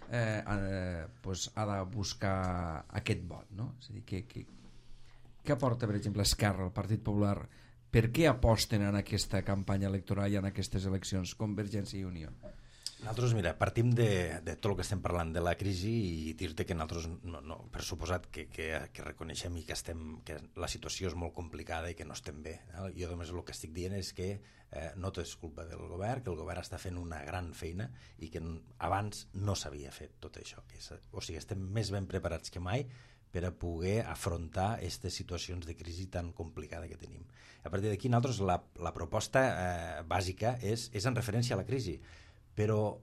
ha de buscar aquest vot, no? És a dir, què aporta, per exemple, Esquerra, el Partit Popular? Per què aposten en aquesta campanya electoral i en aquestes eleccions, Convergència i Unió? Nosaltres, mira, partim de tot el que estem parlant de la crisi i dir-te que nosaltres, per suposat que reconeixem i que la situació és molt complicada i que no estem bé. Jo només el que estic dient és que no tot és culpa del govern, que el govern està fent una gran feina i que abans no s'havia fet tot això. O sigui, estem més ben preparats que mai per a poder afrontar aquestes situacions de crisi tan complicada que tenim. A partir d'aquí, nosaltres la proposta bàsica és en referència a la crisi, però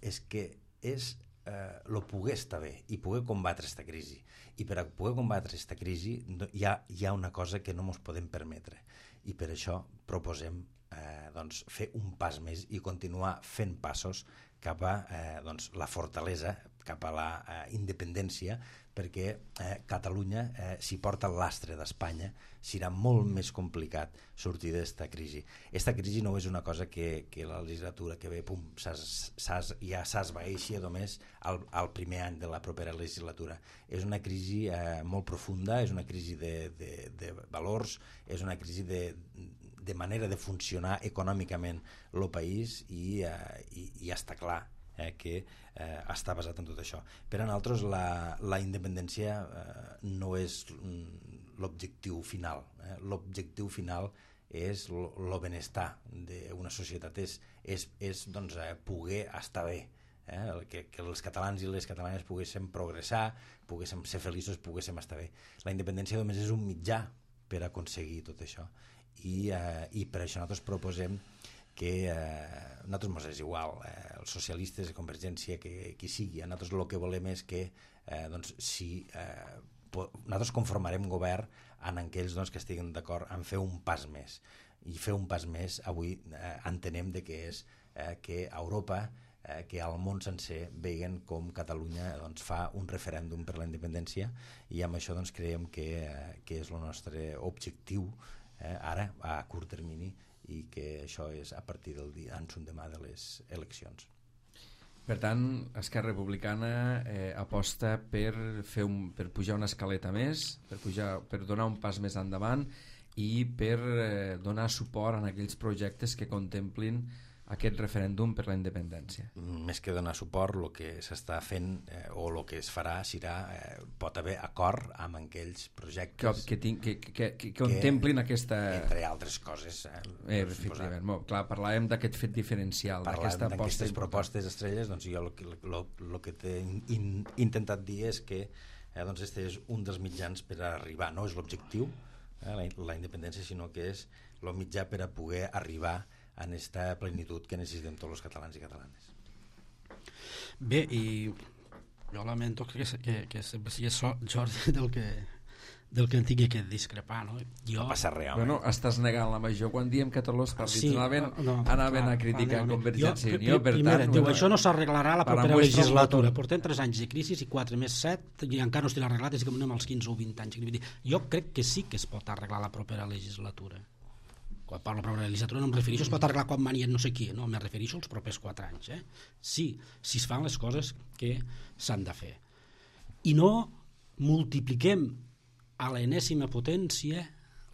és que és poder estar bé i poder combatre aquesta crisi. I per a poder combatre aquesta crisi hi ha una cosa que no ens podem permetre i per això proposem fer un pas més i continuar fent passos cap a la fortalesa, cap a la independència, perquè Catalunya, si porta el lastre d'Espanya, serà molt més complicat sortir d'aquesta crisi. Aquesta crisi no és una cosa que la legislatura que ve ja s'esvaeixi només al primer any de la propera legislatura. És una crisi molt profunda, és una crisi de valors, és una crisi de manera de funcionar econòmicament el país i està clar que està basat en tot això. Per a nosaltres la independència no és l'objectiu final. L'objectiu final és el benestar d'una societat, és poder estar bé, que els catalans i les catalanes poguéssim progressar, poguéssim ser feliços, poguéssim estar bé. La independència només és un mitjà per aconseguir tot això i per això nosaltres proposem que a nosaltres ens és igual, els socialistes, Convergència, qui sigui, a nosaltres el que volem és que nosaltres conformarem govern en aquells que estiguin d'acord en fer un pas més, i fer un pas més avui entenem que és que Europa que al món sencer veguen com Catalunya fa un referèndum per la independència, i amb això creiem que és el nostre objectiu ara a curt termini, i que això és a partir del dia demà de les eleccions. Per tant, Esquerra Republicana aposta per pujar una escaleta més, per donar un pas més endavant i per donar suport a aquells projectes que contemplin aquest referèndum per la independència. Més que donar suport, el que s'està fent o el que es farà serà, pot haver acord amb aquells projectes que contemplin aquesta... Entre altres coses. Efectivament. Clar, parlàvem d'aquest fet diferencial, d'aquesta aposta. D'aquestes propostes estrelles, jo el que t'he intentat dir és que este és un dels mitjans per arribar, no és l'objectiu, la independència, sinó que és el mitjà per a poder arribar a aquesta plenitud que necessitem tots els catalans i catalanes. Bé, i jo lamento que sempre sigui Jordi del que en tingui que discrepar, no? No passa res, home. Bueno, estàs negant la major quan diem que tots els partits anaven a criticar Convergència i Unió, per tant... Diu, això no s'arreglarà la propera legislatura. Portem 3 anys de crisi i 4 més 7 i encara no estic arreglat, és que anem als 15 o 20 anys. Jo crec que sí que es pot arreglar la propera legislatura. Quan parlo de la legislatura no em refereixo es pot arreglar quan mani no sé qui, no, me refereixo als propers 4 anys. Sí, si es fan les coses que s'han de fer. I no multipliquem a l'enèsima potència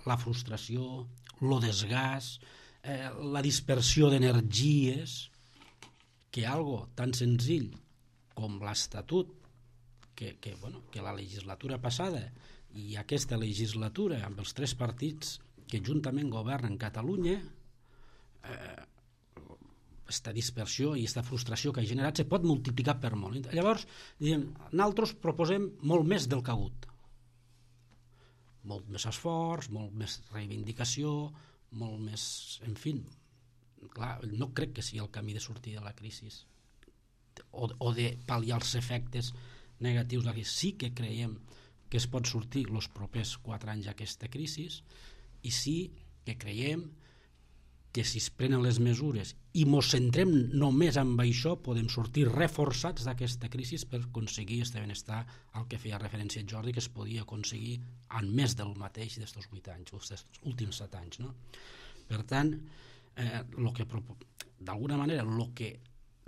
la frustració, el desgast, la dispersió d'energies, que algo tan senzill com l'Estatut, que la legislatura passada i aquesta legislatura amb els 3 partits que juntament governen Catalunya, aquesta dispersió i aquesta frustració que ha generat se pot multiplicar per molt. Llavors, nosaltres proposem molt més del que ha hagut. Molt més esforç, molt més reivindicació, molt més... En fi, clar, no crec que sigui el camí de sortir de la crisi o de pal·liar els efectes negatius de la crisi. Sí que creiem que es pot sortir els propers 4 anys d'aquesta crisi, i sí que creiem que si es prenen les mesures i ens centrem només en això podem sortir reforçats d'aquesta crisi per aconseguir aquest benestar al que feia referència Jordi, que es podia aconseguir en més del mateix d'estos 8 anys, aquests últims 7 anys, no? Per tant, d'alguna manera el que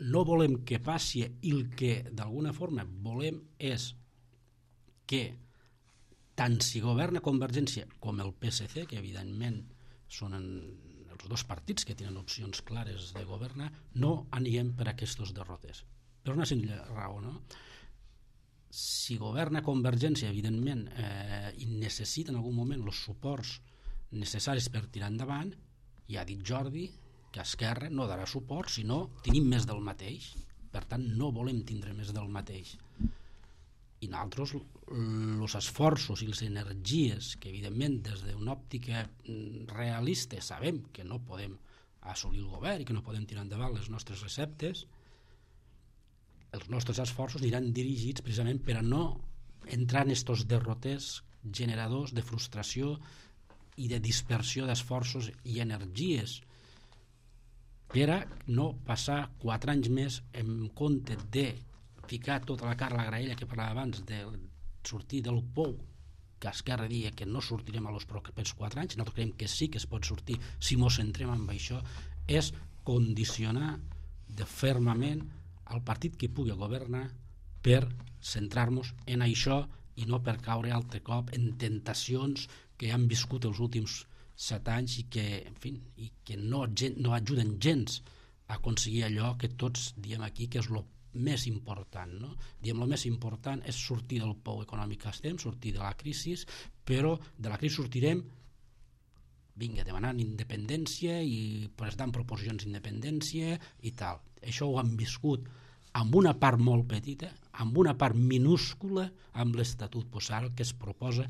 no volem que passi i el que d'alguna forma volem és que tant si governa Convergència com el PSC, que evidentment són els 2 partits que tenen opcions clares de governar, no anirem per aquests derrotes. Per una senzilla raó, no? Si governa Convergència, evidentment, i necessita en algun moment els suports necessaris per tirar endavant, ja ha dit Jordi que Esquerra no darà suport, sinó tenim més del mateix. Per tant, no volem tindre més del mateix. I nosaltres els esforços i les energies que evidentment des d'una òptica realista sabem que no podem assolir el govern i que no podem tirar endavant les nostres receptes, els nostres esforços aniran dirigits precisament per a no entrar en estos derroters generadors de frustració i de dispersió d'esforços i energies, per a no passar 4 anys més en compte de ficar tota la carn a la graella que parlava abans de sortir del pou que Esquerra dia que no sortirem a los propers 4 anys. Nosaltres creiem que sí que es pot sortir si ens centrem en això, és condicionar de fermament al partit que pugui governar per centrar-nos en això i no per caure altre cop en tentacions que han viscut els últims 7 anys i que, en fi, i que no ajuden gens a aconseguir allò que tots diem aquí que és el més important, no? Diem, el més important és sortir del pou econòmic que estem, sortir de la crisi, però de la crisi sortirem demanant independència i presentant proposicions d'independència i tal. Això ho han viscut amb una part molt petita, amb una part minúscula amb l'Estatut. Ara el que es proposa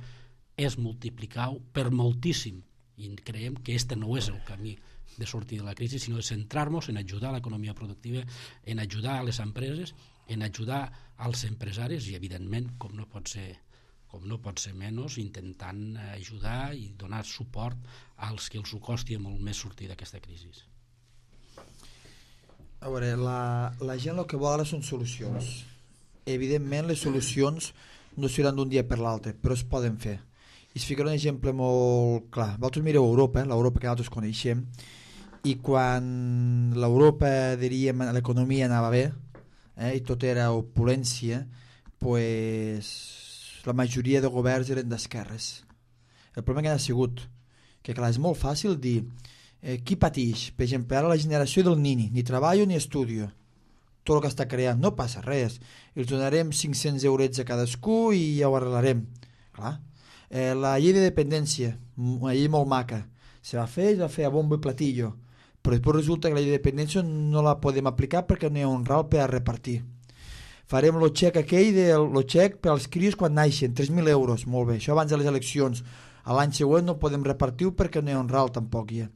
és multiplicar-ho per moltíssim i creiem que este no és el camí de sortir de la crisi, sinó de centrar-nos en ajudar a l'economia productiva, en ajudar a les empreses, en ajudar als empresaris i, evidentment, com no pot ser menys, intentant ajudar i donar suport als que els ho costi molt més sortir d'aquesta crisi. A veure, la gent el que vol ara són solucions. Evidentment, les solucions no seran d'un dia per l'altre, però es poden fer. I es ficarà un exemple molt clar. Vosaltres mireu Europa, l'Europa que nosaltres coneixem, i quan l'Europa, diríem, l'economia anava bé, i tot era opulència, pues, la majoria de governs eren d'esquerres. El problema que ha sigut que, clar, és molt fàcil dir qui pateix? Per exemple, ara la generació del nini, ni treballo ni estudio. Tot el que està creant, no passa res. Els donarem 500 eurets a cadascú i ja ho arreglarem. Clar. La llei de dependència, una llei molt maca, se va fer a bombo i platillo, però després resulta que la llei de dependència no la podem aplicar perquè no hi ha un ral per a repartir. Farem el xec aquell, el xec per als crios quan naixen, 3.000 euros, molt bé, això abans de les eleccions. A l'any següent no podem repartir perquè no hi ha un ral tampoc hi ha.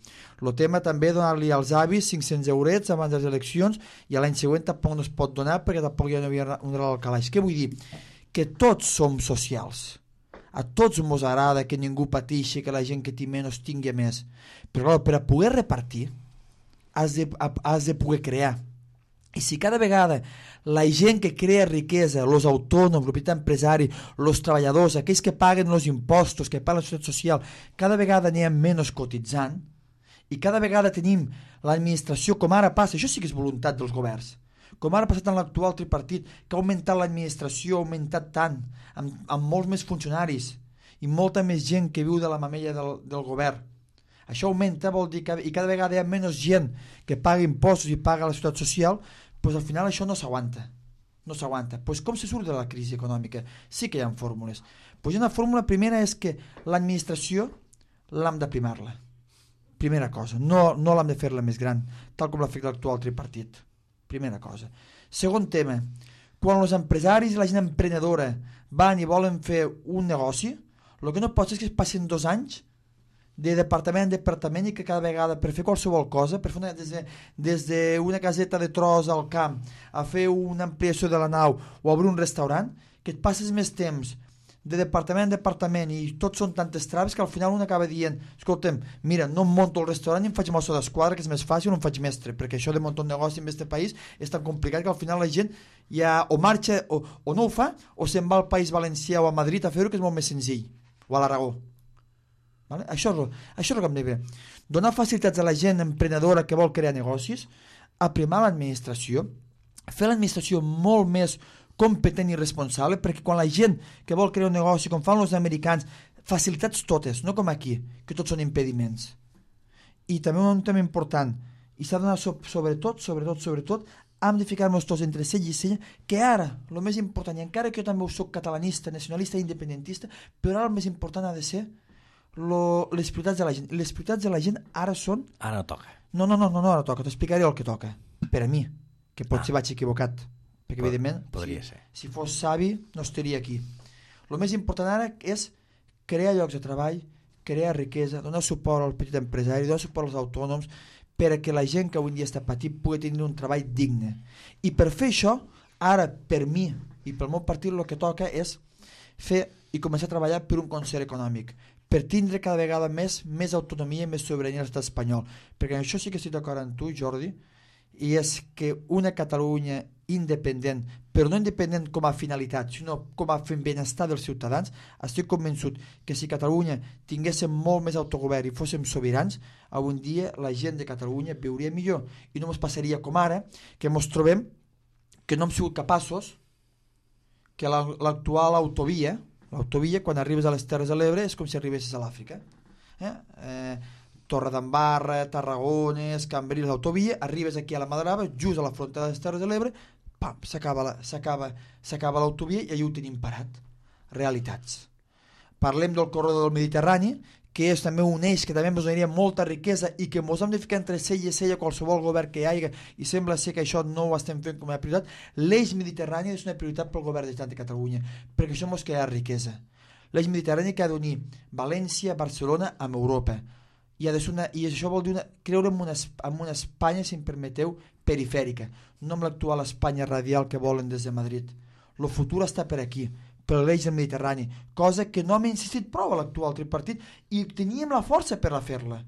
El tema també donar-li als avis 500 eurets abans de les eleccions i a l'any següent tampoc no es pot donar perquè tampoc hi havia un ral al calaix. Què vull dir? Que tots som socials. A tots ens agrada que ningú pateixi, que la gent que té menys tingui més. Però clar, per a poder repartir has de poder crear. I si cada vegada la gent que crea riquesa, els autònoms, el petit empresari, els treballadors, aquells que paguen els impostos, que paguen la societat social, cada vegada n'hi ha menys cotitzant i cada vegada tenim l'administració, com ara passa, això sí que és voluntat dels governs, com ara ha passat en l'actual tripartit, que ha augmentat l'administració, ha augmentat tant, amb molts més funcionaris i molta més gent que viu de la mamella del govern. Això augmenta, vol dir que i cada vegada hi ha menys gent que paga impostos i paga la societat social, doncs al final això no s'aguanta. No s'aguanta. Doncs com se surt de la crisi econòmica? Sí que hi ha fórmules. Doncs una fórmula primera és que l'administració l'hem d'aprimar-la. Primera cosa. No l'hem de fer-la més gran, tal com l'ha fet l'actual tripartit. Primera cosa. Segon tema. Quan els empresaris i la gent emprenedora van i volen fer un negoci, el que no pot ser és que es passin 2 anys de departament en departament i que cada vegada per fer qualsevol cosa, per fer des d'una caseta de tros al camp a fer una ampliació de la nau o obrir un restaurant, que et passes més temps de departament en departament i tots són tantes traves que al final un acaba dient, escolta'm, mira, no em monto el restaurant i em faig mosso d'esquadra, que és més fàcil, no em faig mestre, perquè això de muntar un negoci en aquest país és tan complicat que al final la gent ja o marxa o no ho fa o se'n va al País Valencià o a Madrid a fer-ho, que és molt més senzill, o a l'Aragó. Vale? Això és el que hem de fer. Donar facilitats a la gent emprenedora que vol crear negocis, aprimar l'administració, fer l'administració molt més competent i responsable, perquè quan la gent que vol crear un negoci, com fan els americans, facilitats totes, no com aquí, que tots són impediments. I també un tema important, i s'ha de donar sobretot, hem de ficar-nos tots entre cella i cella, que ara, el més important, i encara que jo també soc catalanista, nacionalista i independentista, però ara el més important ha de ser les prioritats de la gent. Les prioritats de la gent ara són... Ara no toca. No, ara toca. T'explicaré el que toca. Per a mi, que potser vaig equivocat. Perquè, evidentment, podria ser. Si fos savi, no estaria aquí. El més important ara és crear llocs de treball, crear riquesa, donar suport al petit empresari, donar suport als autònoms, perquè la gent que avui dia està patint pugui tenir un treball digne. I per fer això, ara, per mi i pel meu partit, el que toca és fer i començar a treballar per un concert econòmic, per tindre cada vegada més autonomia i més sobirania a l'estat espanyol. Perquè això sí que estic d'acord amb tu, Jordi, i és que una Catalunya independent, però no independent com a finalitat, sinó com a benestar dels ciutadans, estic convençut que si Catalunya tinguéssim molt més autogovern i fóssim sobirans, avui dia la gent de Catalunya viuria millor i no ens passaria com ara, que ens trobem que no hem sigut capaços que l'actual autovia, quan arribes a les Terres de l'Ebre és com si arribessis a l'Àfrica. Torredembarra, Tarragona, Cambrils, l'autovia, arribes aquí a la Madrava, just a la frontera de les Terres de l'Ebre, pam, s'acaba l'autovia i allà ho tenim parat. Realitats. Parlem del corredor del Mediterrani, que és també un eix que també ens donaria molta riquesa i que ens hem de ficar entre cella i cella qualsevol govern que hi hagi, i sembla ser que això no ho estem fent com a prioritat. L'eix mediterrani és una prioritat pel govern de la Generalitat de Catalunya, perquè això ens crea riquesa. L'eix mediterrani que ha d'unir València, Barcelona amb Europa, i això vol dir creure en una Espanya, si em permeteu, perifèrica, no amb l'actual Espanya radial que volen des de Madrid. El futur està per aquí, per l'eix del Mediterrani, cosa que no hem insistit prou a l'actual tripartit i teníem la força per a fer-la.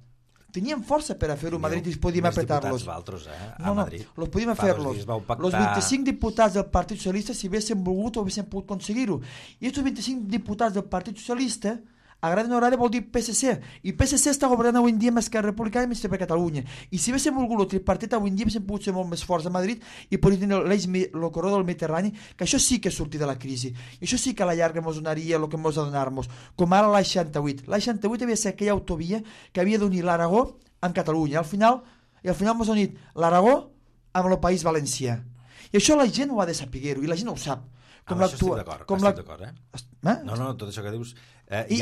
Tenien força per a fer-ho a Madrid i podíem apretar-los. A Madrid. No, los podíem fer-los. Los 25 diputats del Partit Socialista, si haguessin volgut, ho haguessin pogut aconseguir-ho. I aquests 25 diputats del Partit Socialista, agrada o no agrada vol dir PSC, i PSC està governant avui en dia amb Esquerra Republicana i per Catalunya, i si haguéssim volgut el tripartit avui en dia haguéssim pogut ser molt més forts a Madrid i podríem tenir el corredor del Mediterrani, que això sí que és sortir de la crisi, i això sí que a la llarga ens donaria el que ens ha de donar-nos, com ara l'A68. L'A68 havia de ser aquella autovia que havia d'unir l'Aragó amb Catalunya, al final ens ha unit l'Aragó amb el País Valencià, i això la gent ho ha de saber-ho, i la gent ho sap. Amb això estic d'acord, No, tot això que dius... Hi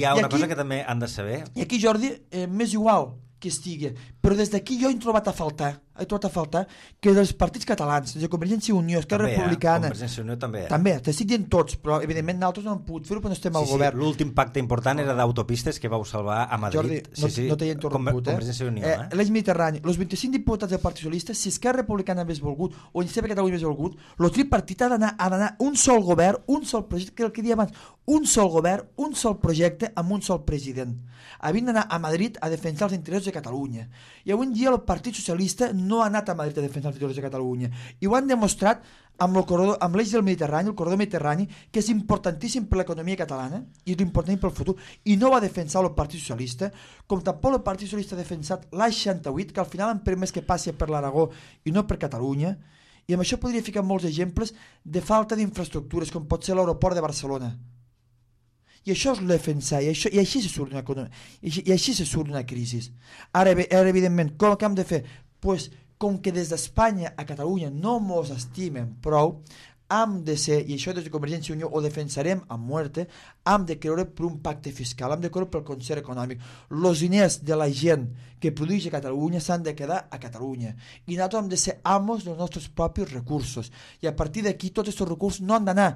ha una cosa que també han de saber. I aquí, Jordi, m'és igual que estigui, però des d'aquí jo he trobat a faltar que dels partits catalans, de Convergència i Unió, Esquerra Republicana... Convergència i Unió també. També, t'estic dient tots, però evidentment nosaltres no hem pogut fer-ho perquè no estem al govern. L'últim pacte important era d'autopistes que vau salvar a Madrid. Jordi, no t'he interromput, Convergència i Unió, l'eix Mediterrani, els 25 diputats del Partit Socialista, si Esquerra Republicana hagués volgut, o Iniciativa per Catalunya hagués volgut, el tripartit ha d'anar un sol govern, un sol projecte, que el que deia abans, un sol govern, un sol projecte amb un sol president. Havien d'anar a Madrid a defensar els interessos de Catalunya. I avui en dia el Partit Socialista no ha anat a Madrid a defensar els interessos de Catalunya. I ho han demostrat amb l'eix del Mediterrani, el corredor Mediterrani, que és importantíssim per l'economia catalana i és important pel futur. I no va defensar el Partit Socialista, com tampoc el Partit Socialista ha defensat l'A68, que al final han permès que passi per l'Aragó i no per Catalunya. I amb això podria ficar molts exemples de falta d'infraestructures, com pot ser l'aeroport de Barcelona. I això és defensar, i així se surt d'una economia, i així se surt d'una crisi. Ara, evidentment, com que hem de fer? Pues, com que des d'Espanya a Catalunya no mos estimen prou, hem de ser, i això des de Convergència i Unió ho defensarem a muerte, hem de creure per un pacte fiscal, hem de creure pel concert econòmic. Els diners de la gent que produeix a Catalunya s'han de quedar a Catalunya. I nosaltres hem de ser amos dels nostres propis recursos. I a partir d'aquí tots aquests recursos no han d'anar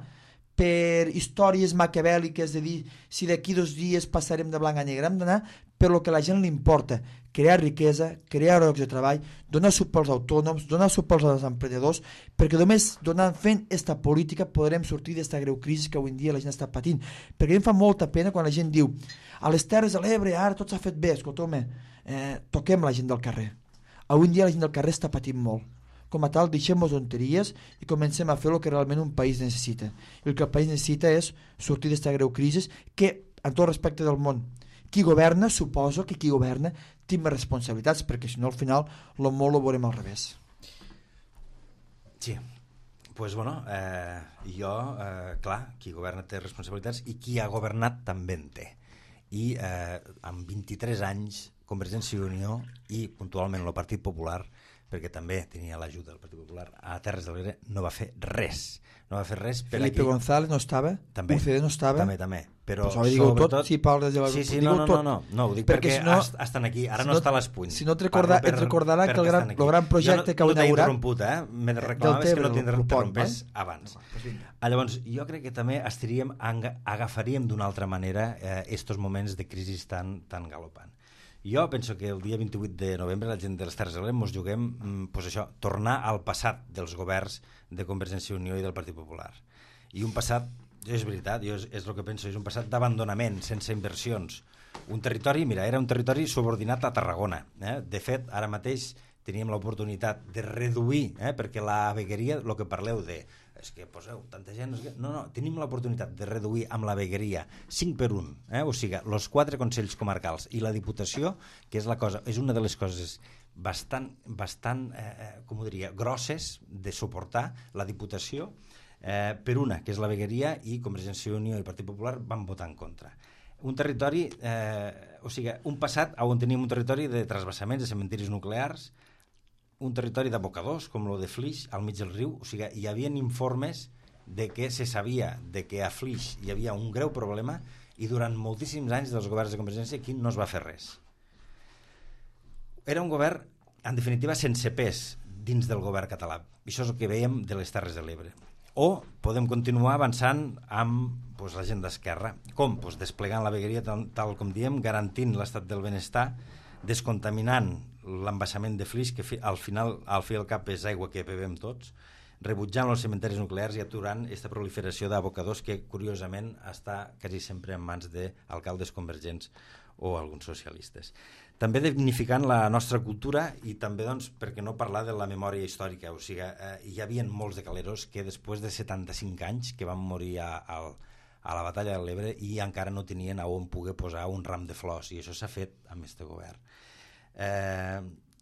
per històries maquiavèliques de dir si d'aquí 2 dies passarem de blanc a negre. Hem d'anar per lo que a la gent li importa, crear riquesa, crear llocs de treball, donar suport als autònoms, donar suport als emprenedors, perquè només fent aquesta política podrem sortir d'esta greu crisi que avui en dia la gent està patint. Perquè a mi em fa molta pena quan la gent diu a les Terres de l'Ebre ara tot s'ha fet bé, escolta'm, toquem la gent del carrer. Avui en dia la gent del carrer està patint molt. Com a tal, deixem-nos tonteries i comencem a fer el que realment un país necessita. I el que el país necessita és sortir d'esta greu crisi que, en tot respecte del món, qui governa, suposo que qui governa té més responsabilitats, perquè si no al final el món ho veurem al revés. Sí, doncs bueno, clar, qui governa té responsabilitats i qui ha governat també en té. I amb 23 anys, Convergència i Unió i puntualment el Partit Popular, perquè també tenia l'ajuda del Partit Popular, a Terres de l'Ebre no va fer res. No va fer res per Felipe aquí. González no estava? També. UCD no estava? També. Però pues sobretot... tot, si parles de la... Sí, no, ho dic perquè si no, estan aquí, ara no està a les punys. Si no et recordarà que el gran projecte que heu inaugurat... No t'he interromput, me reclamaves que no t'interrompés abans. Llavors, jo crec que també agafaríem d'una altra manera estos moments de crisi tan galopant. Jo penso que el dia 28 de novembre la gent de les Terres de l'Ebre ens juguem tornar al passat dels governs de Convergència i Unió i del Partit Popular. I un passat, és veritat, és el que penso, és un passat d'abandonament, sense inversions. Un territori, era un territori subordinat a Tarragona. De fet, ara mateix teníem l'oportunitat de reduir, perquè la vegueria, el que parleu de és que poseu tanta gent... No, tenim l'oportunitat de reduir amb la vegueria 5 per 1, o sigui, els 4 consells comarcals i la Diputació, que és una de les coses bastant com ho diria, grosses de suportar la Diputació, per una, que és la vegueria, i Convergència i Unió i el Partit Popular van votar en contra. Un territori, un passat on teníem un territori de trasvassaments, de cementiris nuclears, un territori d'abocadors, com el de Flix, al mig del riu. O sigui, hi havia informes de que se sabia de que a Flix hi havia un greu problema i durant moltíssims anys dels governs de Convergència aquí no es va fer res. Era un govern, en definitiva, sense pes dins del govern català. Això és el que veiem de les Terres de l'Ebre. O podem continuar avançant amb la gent d'Esquerra. Com? Desplegant la vegueria, tal com diem, garantint l'estat del benestar, descontaminant l'embassament de Flix, que al fi al cap és aigua que bevem tots, rebutjant els cementaris nuclears i aturant aquesta proliferació d'abocadors que, curiosament, està quasi sempre en mans d'alcaldes convergents o alguns socialistes. També dignificant la nostra cultura i també, doncs, per què no parlar de la memòria històrica. O sigui, hi havia molts de caleros que després de 75 anys que van morir a la batalla de l'Ebre i encara no tenien on poder posar un ram de flors, i això s'ha fet amb aquest govern.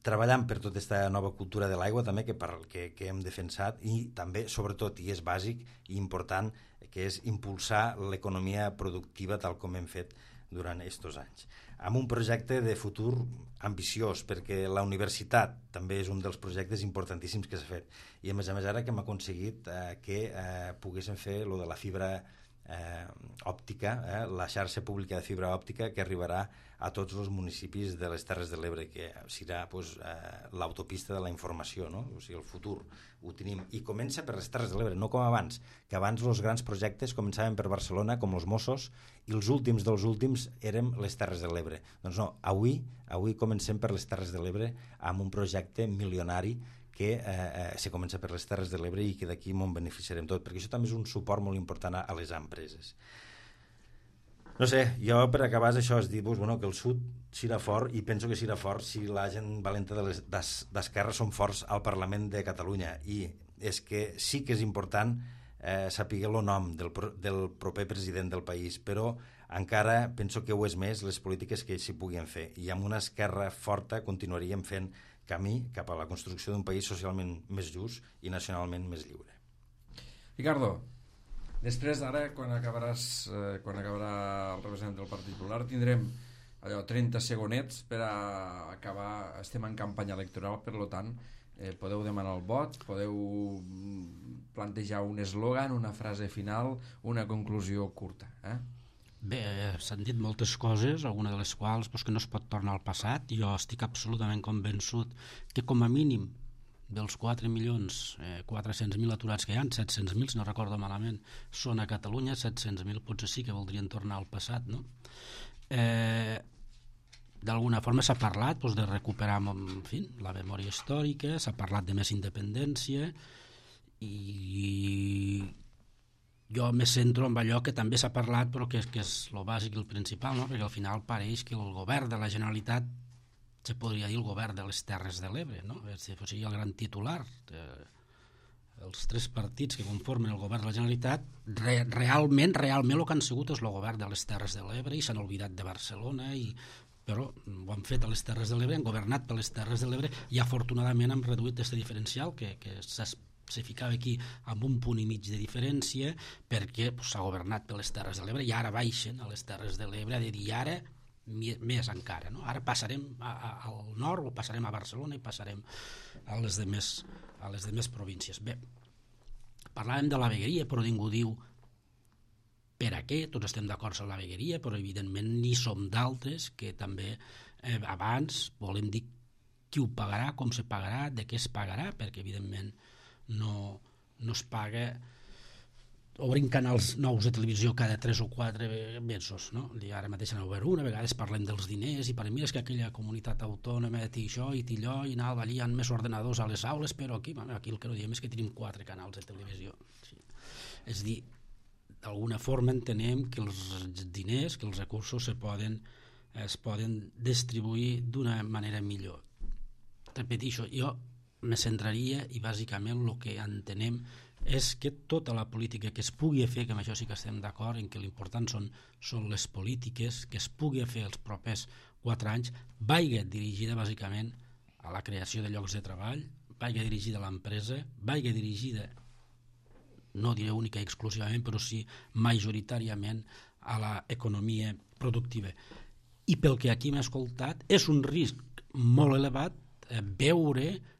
Treballant per tota aquesta nova cultura de l'aigua també que hem defensat, i també, sobretot, i és bàsic i important, que és impulsar l'economia productiva tal com hem fet durant aquests anys, amb un projecte de futur ambiciós, perquè la universitat també és un dels projectes importantíssims que s'ha fet, i a més ara que hem aconseguit que poguéssim fer lo de la fibra òptica, la xarxa pública de fibra òptica que arribarà a tots els municipis de les Terres de l'Ebre, que serà l'autopista de la informació, no? O sigui, el futur ho tenim, i comença per les Terres de l'Ebre, no com abans, que abans els grans projectes començaven per Barcelona, com els Mossos, i els últims dels últims érem les Terres de l'Ebre. Doncs no, avui comencem per les Terres de l'Ebre amb un projecte milionari que se comença per les Terres de l'Ebre i que d'aquí me'n beneficiarem tot, perquè això també és un suport molt important a les empreses. No sé, jo per acabar això és dir que el sud serà fort, i penso que serà fort si la gent valenta d'Esquerra són forts al Parlament de Catalunya, i és que sí que és important saber el nom del proper president del país, però encara penso que ho és més les polítiques que s'hi puguin fer, i amb una esquerra forta continuaríem fent camí cap a la construcció d'un país socialment més just i nacionalment més lliure. Ricardo, després ara, quan acabarà el representant del Partit Popular, tindrem 30 segonets per a acabar. Estem en campanya electoral, per tant, podeu demanar el vot, podeu plantejar un eslògan, una frase final, una conclusió curta. Bé, s'han dit moltes coses, alguna de les quals que no es pot tornar al passat. Jo estic absolutament convençut que com a mínim dels 4.400.000 aturats que hi ha, 700.000, si no recordo malament, són a Catalunya, 700.000 potser sí que voldrien tornar al passat, no? D'alguna forma s'ha parlat de recuperar, en fi, la memòria històrica, s'ha parlat de més independència, i jo me centro en allò que també s'ha parlat però que és el bàsic i el principal, no? Perquè al final pareix que el govern de la Generalitat se podria dir el govern de les Terres de l'Ebre, no? Si fos el gran titular, els tres partits que conformen el govern de la Generalitat realment el que han sigut és el govern de les Terres de l'Ebre, i s'han oblidat de Barcelona, però ho han fet a les Terres de l'Ebre, han governat per les Terres de l'Ebre, i afortunadament han reduït aquest diferencial que se ficava aquí amb un punt i mig de diferència, perquè s'ha governat per les Terres de l'Ebre, i ara baixen a les Terres de l'Ebre a dir ara més encara, no? Ara passarem al nord, o passarem a Barcelona, i passarem a les demés províncies. Bé, parlàvem de la vegueria, però ningú diu per a què. Tots estem d'acord amb la vegueria, però evidentment n'hi som d'altres que també abans volem dir qui ho pagarà, com se pagarà, de què es pagarà, perquè evidentment no es paga obrim canals nous de televisió cada 3 o 4 mesos, no? Ara mateix n'ha obert una, a vegades parlem dels diners, i per mi és que aquella comunitat autònoma té això i té allò, i allà hi ha més ordenadors a les aules, però aquí el que no diem és que tenim 4 canals de televisió. Sí. És dir, d'alguna forma entenem que els diners, que els recursos es poden distribuir d'una manera millor. Repeteixo, jo me centraria, i bàsicament el que entenem és que tota la política que es pugui fer, que amb això sí que estem d'acord, en que l'important són les polítiques que es pugui fer els propers 4 anys, vagi dirigida bàsicament a la creació de llocs de treball, vagi dirigida a l'empresa, vagi dirigida, no diré única i exclusivament, però sí majoritàriament a l'economia productiva. I pel que aquí m'he escoltat, és un risc molt elevat veure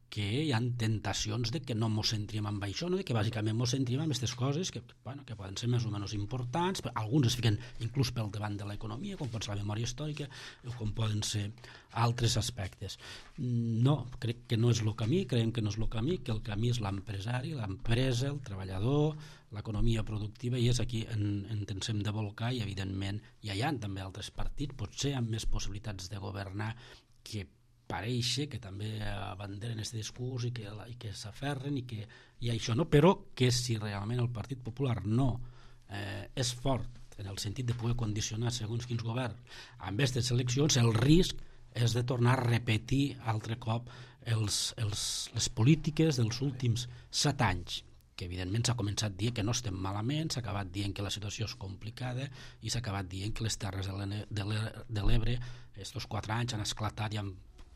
que hi ha tentacions de que no ens centrim en això, no? De que bàsicament ens centrim en aquestes coses que poden ser més o menys importants, però alguns es fiquen inclús pel davant de l'economia, com pot ser la memòria històrica, o com poden ser altres aspectes. No, crec que no és el camí, creiem que no és el camí, que el camí és l'empresari, l'empresa, el treballador, l'economia productiva, i és aquí on ens hem de volcar, i evidentment hi ha també altres partits, potser amb més possibilitats de governar, que pareix que també abanderen aquest discurs i que s'aferren i això, no? Però que si realment el Partit Popular no és fort en el sentit de poder condicionar segons quins governs amb aquestes eleccions, el risc és de tornar a repetir altre cop les polítiques dels últims 7 anys, que evidentment s'ha començat dient que no estem malament, s'ha acabat dient que la situació és complicada i s'ha acabat dient que les Terres de l'Ebre aquests 4 anys han esclatat i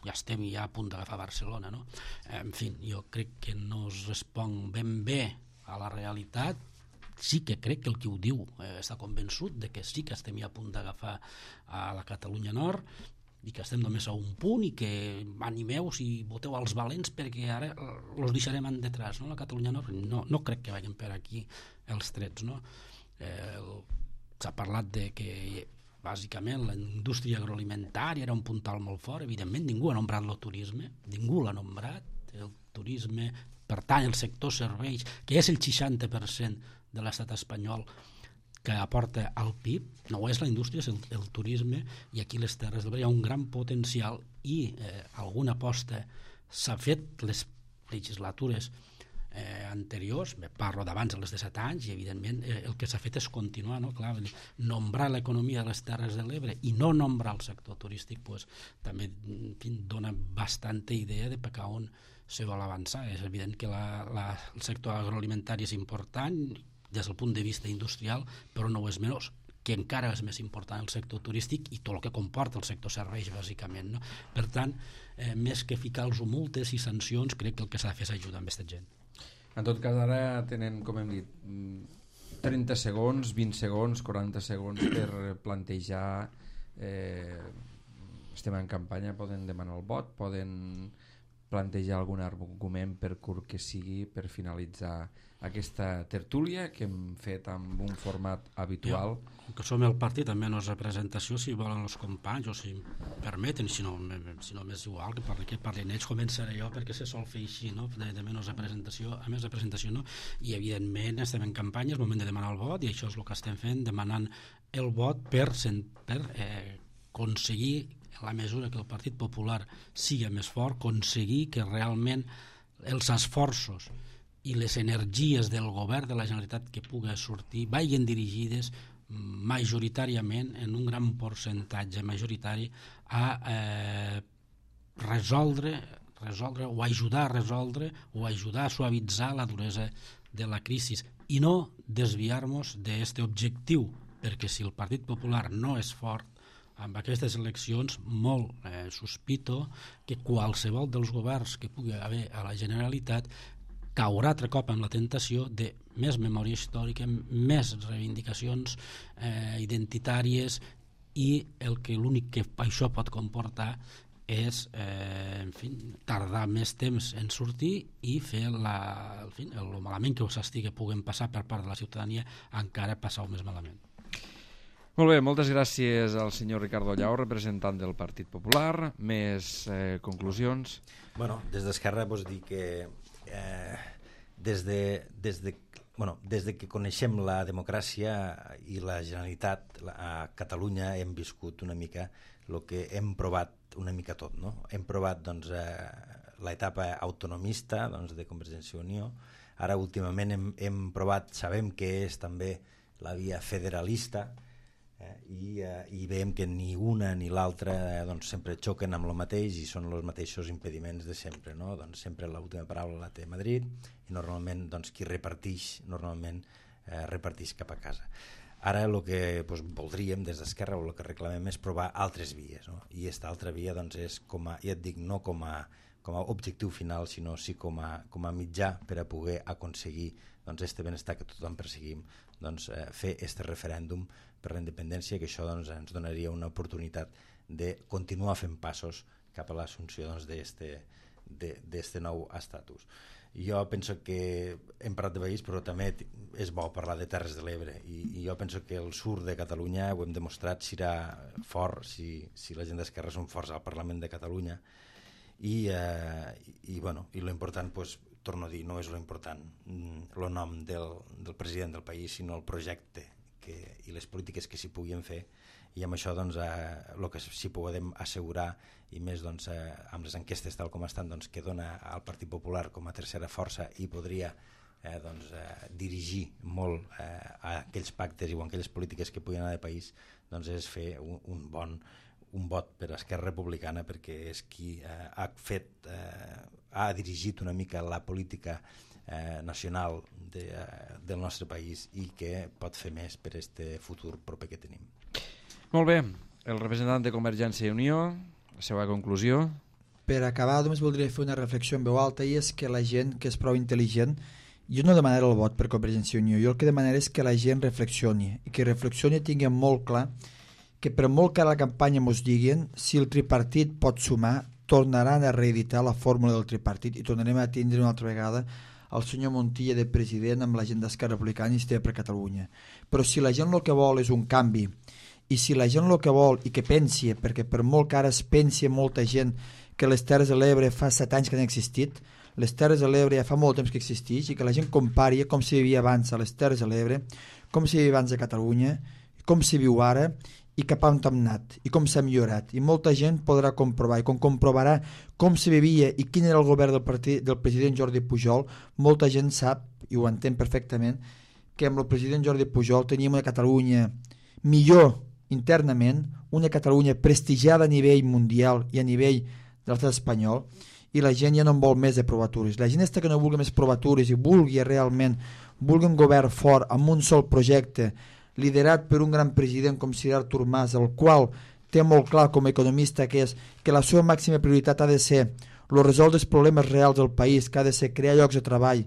ja estem ja a punt d'agafar Barcelona, no? En fi, jo crec que no es respon ben bé a la realitat. Sí que crec que el que ho diu està convençut de que sí que estem ja a punt d'agafar a la Catalunya Nord i que estem només a un punt i que animeu-vos i voteu als valents perquè ara els deixarem en detrás, no? La Catalunya Nord no crec que vagin per aquí els trets, no? S'ha parlat de que bàsicament la indústria agroalimentària era un puntal molt fort, evidentment ningú ha nombrat el turisme, ningú l'ha nombrat, el turisme pertany al sector serveis, que és el 60% de l'estat espanyol que aporta al PIB, no és la indústria, és el turisme, i aquí les Terres de l'Ebre hi ha un gran potencial i alguna aposta s'ha fet les legislatures anteriors, parlo d'abans de les de 7 anys, i evidentment el que s'ha fet és continuar, no? Clar, nombrar l'economia de les Terres de l'Ebre i no nombrar el sector turístic pues, també en fi, dona bastanta idea de per on se vol avançar. És evident que el sector agroalimentari és important des del punt de vista industrial, però no ho és menys, que encara és més important el sector turístic i tot el que comporta el sector serveis, bàsicament, no? Per tant, més que ficar-los multes i sancions, crec que el que s'ha de fer és ajudar amb aquesta gent. En tot cas, ara tenen, com hem dit, 30 segons, 20 segons, 40 segons per plantejar, estem en campanya, poden demanar el vot, poden plantejar algun argument per curt que sigui per finalitzar aquesta tertúlia que hem fet amb un format habitual. Jo, que som el partit amb menys representació, si volen els companys o si permeten, si no m'és igual que parlin ells, començaré jo perquè se sol fer així, no? de menys representació a més representació, no? I evidentment estem en campanya, és moment de demanar el vot i això és el que estem fent, demanant el vot per aconseguir, en la mesura que el Partit Popular sigui més fort, aconseguir que realment els esforços i les energies del govern de la Generalitat que pugui sortir vagin dirigides majoritàriament, en un gran percentatge majoritari, a resoldre o ajudar a resoldre o ajudar a suavitzar la duresa de la crisi i no desviar-nos d'aquest objectiu, perquè si el Partit Popular no és fort amb aquestes eleccions, molt sospito que qualsevol dels governs que pugui haver a la Generalitat caurà altre cop en la tentació de més memòria històrica, més reivindicacions identitàries i l'únic que això pot comportar és en fi, tardar més temps en sortir i fer el malament que s'estigui puguem passar per part de la ciutadania encara passar més malament. Molt bé, moltes gràcies al senyor Ricardo Llau, representant del Partit Popular. Més conclusions? Bueno, des d'Esquerra vos dir que des de que coneixem la democràcia i la Generalitat a Catalunya hem viscut una mica el que hem provat una mica tot, no? Hem provat doncs, l'etapa autonomista de Convergència i Unió, ara últimament hem provat, sabem que és també la via federalista, i veiem que ni una ni l'altra sempre xoquen amb el mateix i són els mateixos impediments de sempre, no? Doncs sempre l'última paraula la té Madrid i normalment qui repartix repartix cap a casa. Ara el que voldríem des d'Esquerra o el que reclamem és provar altres vies, no? I aquesta altra via és com a, ja et dic, no com a objectiu final, sinó sí com a mitjà per a poder aconseguir este benestar que tothom perseguim, fer este referèndum per la independència, que això ens donaria una oportunitat de continuar fent passos cap a l'assumpció d'este nou estatus. Jo penso que hem parlat de país, però també és bo parlar de Terres de l'Ebre, i jo penso que el sud de Catalunya ho hem demostrat, serà fort si la gent d'Esquerra són forts al Parlament de Catalunya, i l'important, torno a dir, no és l'important el nom del president del país, sinó el projecte i les polítiques que s'hi puguin fer i amb això doncs, el que sí podem assegurar, i més doncs, amb les enquestes tal com estan, doncs, que dona al Partit Popular com a tercera força i podria dirigir molt a aquells pactes i a aquelles polítiques que puguin anar de país, doncs és fer un vot per a Esquerra Republicana, perquè és qui ha dirigit una mica la política nacional del nostre país i que pot fer més per este futur proper que tenim. Molt bé, el representant de Convergència i Unió, la seva conclusió. Per acabar, només voldria fer una reflexió en veu alta, i és que la gent que és prou intel·ligent, jo no demanaré el vot per Convergència i Unió, jo el que demanaré és que la gent reflexioni, i que reflexioni i tingui molt clar que per molt que a la campanya mos diguin, si el tripartit pot sumar, tornaran a reeditar la fórmula del tripartit i tornarem a tindre una altra vegada el senyor Montilla de president amb la gent d'Esquerra Republicana i Iniciativa per Catalunya. Però si la gent el que vol és un canvi, i si la gent el que vol i que pensi, perquè per molt que ara es pensi molta gent que les Terres de l'Ebre fa 7 anys que han existit, les Terres de l'Ebre ja fa molt temps que existeix, i que la gent compari com s'hi vivia abans a les Terres de l'Ebre, com s'hi vivia abans a Catalunya, com s'hi viu ara, i cap on hem anat, i com s'ha millorat. I molta gent podrà comprovar, i com comprovarà com se vivia i quin era el govern del president Jordi Pujol, molta gent sap, i ho entén perfectament, que amb el president Jordi Pujol teníem una Catalunya millor internament, una Catalunya prestigiada a nivell mundial i a nivell de l'estat espanyol, i la gent ja no en vol més de provatures. La gent que no vulgui més provatures i vulgui realment un govern fort amb un sol projecte, liderat per un gran president com Sir Artur Mas, el qual té molt clar com a economista que és que la seva màxima prioritat ha de ser resoldre els problemes reals del país, que ha de ser crear llocs de treball,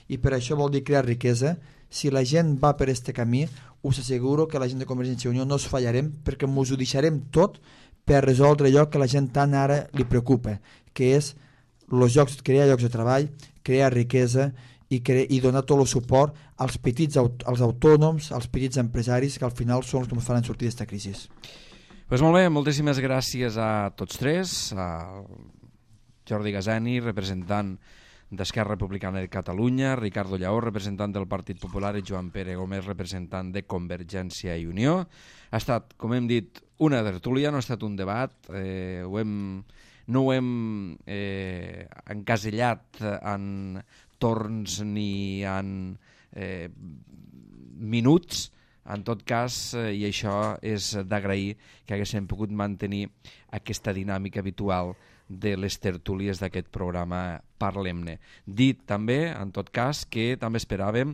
i per això vol dir crear riquesa. Si la gent va per este camí, us asseguro que la gent de Convergència i Unió no us fallarem, perquè ens ho deixarem tot per resoldre allò que la gent tant ara li preocupa, que és crear llocs de treball, crear riquesa i donar tot el suport als petits, als autònoms, als petits empresaris, que al final són els que ens faran sortir d'aquesta crisi. Pues molt bé, moltíssimes gràcies a tots tres, a Jordi Gazani, representant d'Esquerra Republicana de Catalunya, Ricardo Lleó, representant del Partit Popular, i Joan Pere Gómez, representant de Convergència i Unió. Ha estat, com hem dit, una tertúlia, no ha estat un debat, no ho hem encasellat en torns ni en minuts. En tot cas, i això és d'agrair, que haguéssim pogut mantenir aquesta dinàmica habitual de les tertúlies d'aquest programa Parlem-ne. Dit també, en tot cas, que també esperàvem,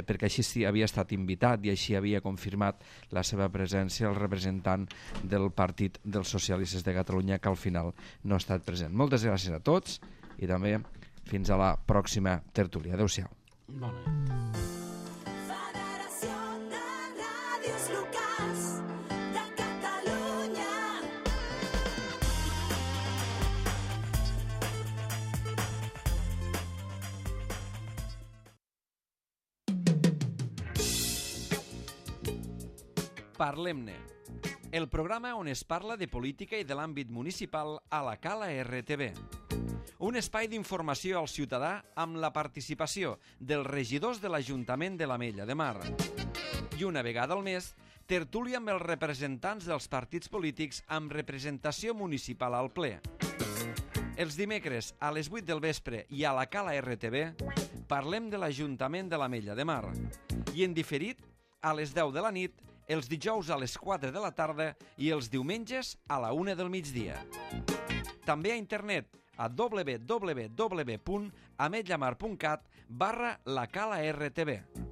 perquè així havia estat invitat i així havia confirmat la seva presència el representant del Partit dels Socialistes de Catalunya, que al final no ha estat present. Moltes gràcies a tots i també fins a la pròxima tertúlia. Adéu-siau. Molt bé. Parlem-ne, el programa on es parla de política i de l'àmbit municipal a la Cala RTV. Un espai d'informació al ciutadà amb la participació dels regidors de l'Ajuntament de l'Ametlla de Mar. I una vegada al mes, tertúlia amb els representants dels partits polítics amb representació municipal al ple. Els dimecres a les 8 del vespre i a la Cala RTV parlem de l'Ajuntament de l'Ametlla de Mar. I en diferit a les 10 de la nit, els dijous a les 4 de la tarda i els diumenges a la 1 del migdia. També a internet a www.ametllamar.cat/la Cala RTV.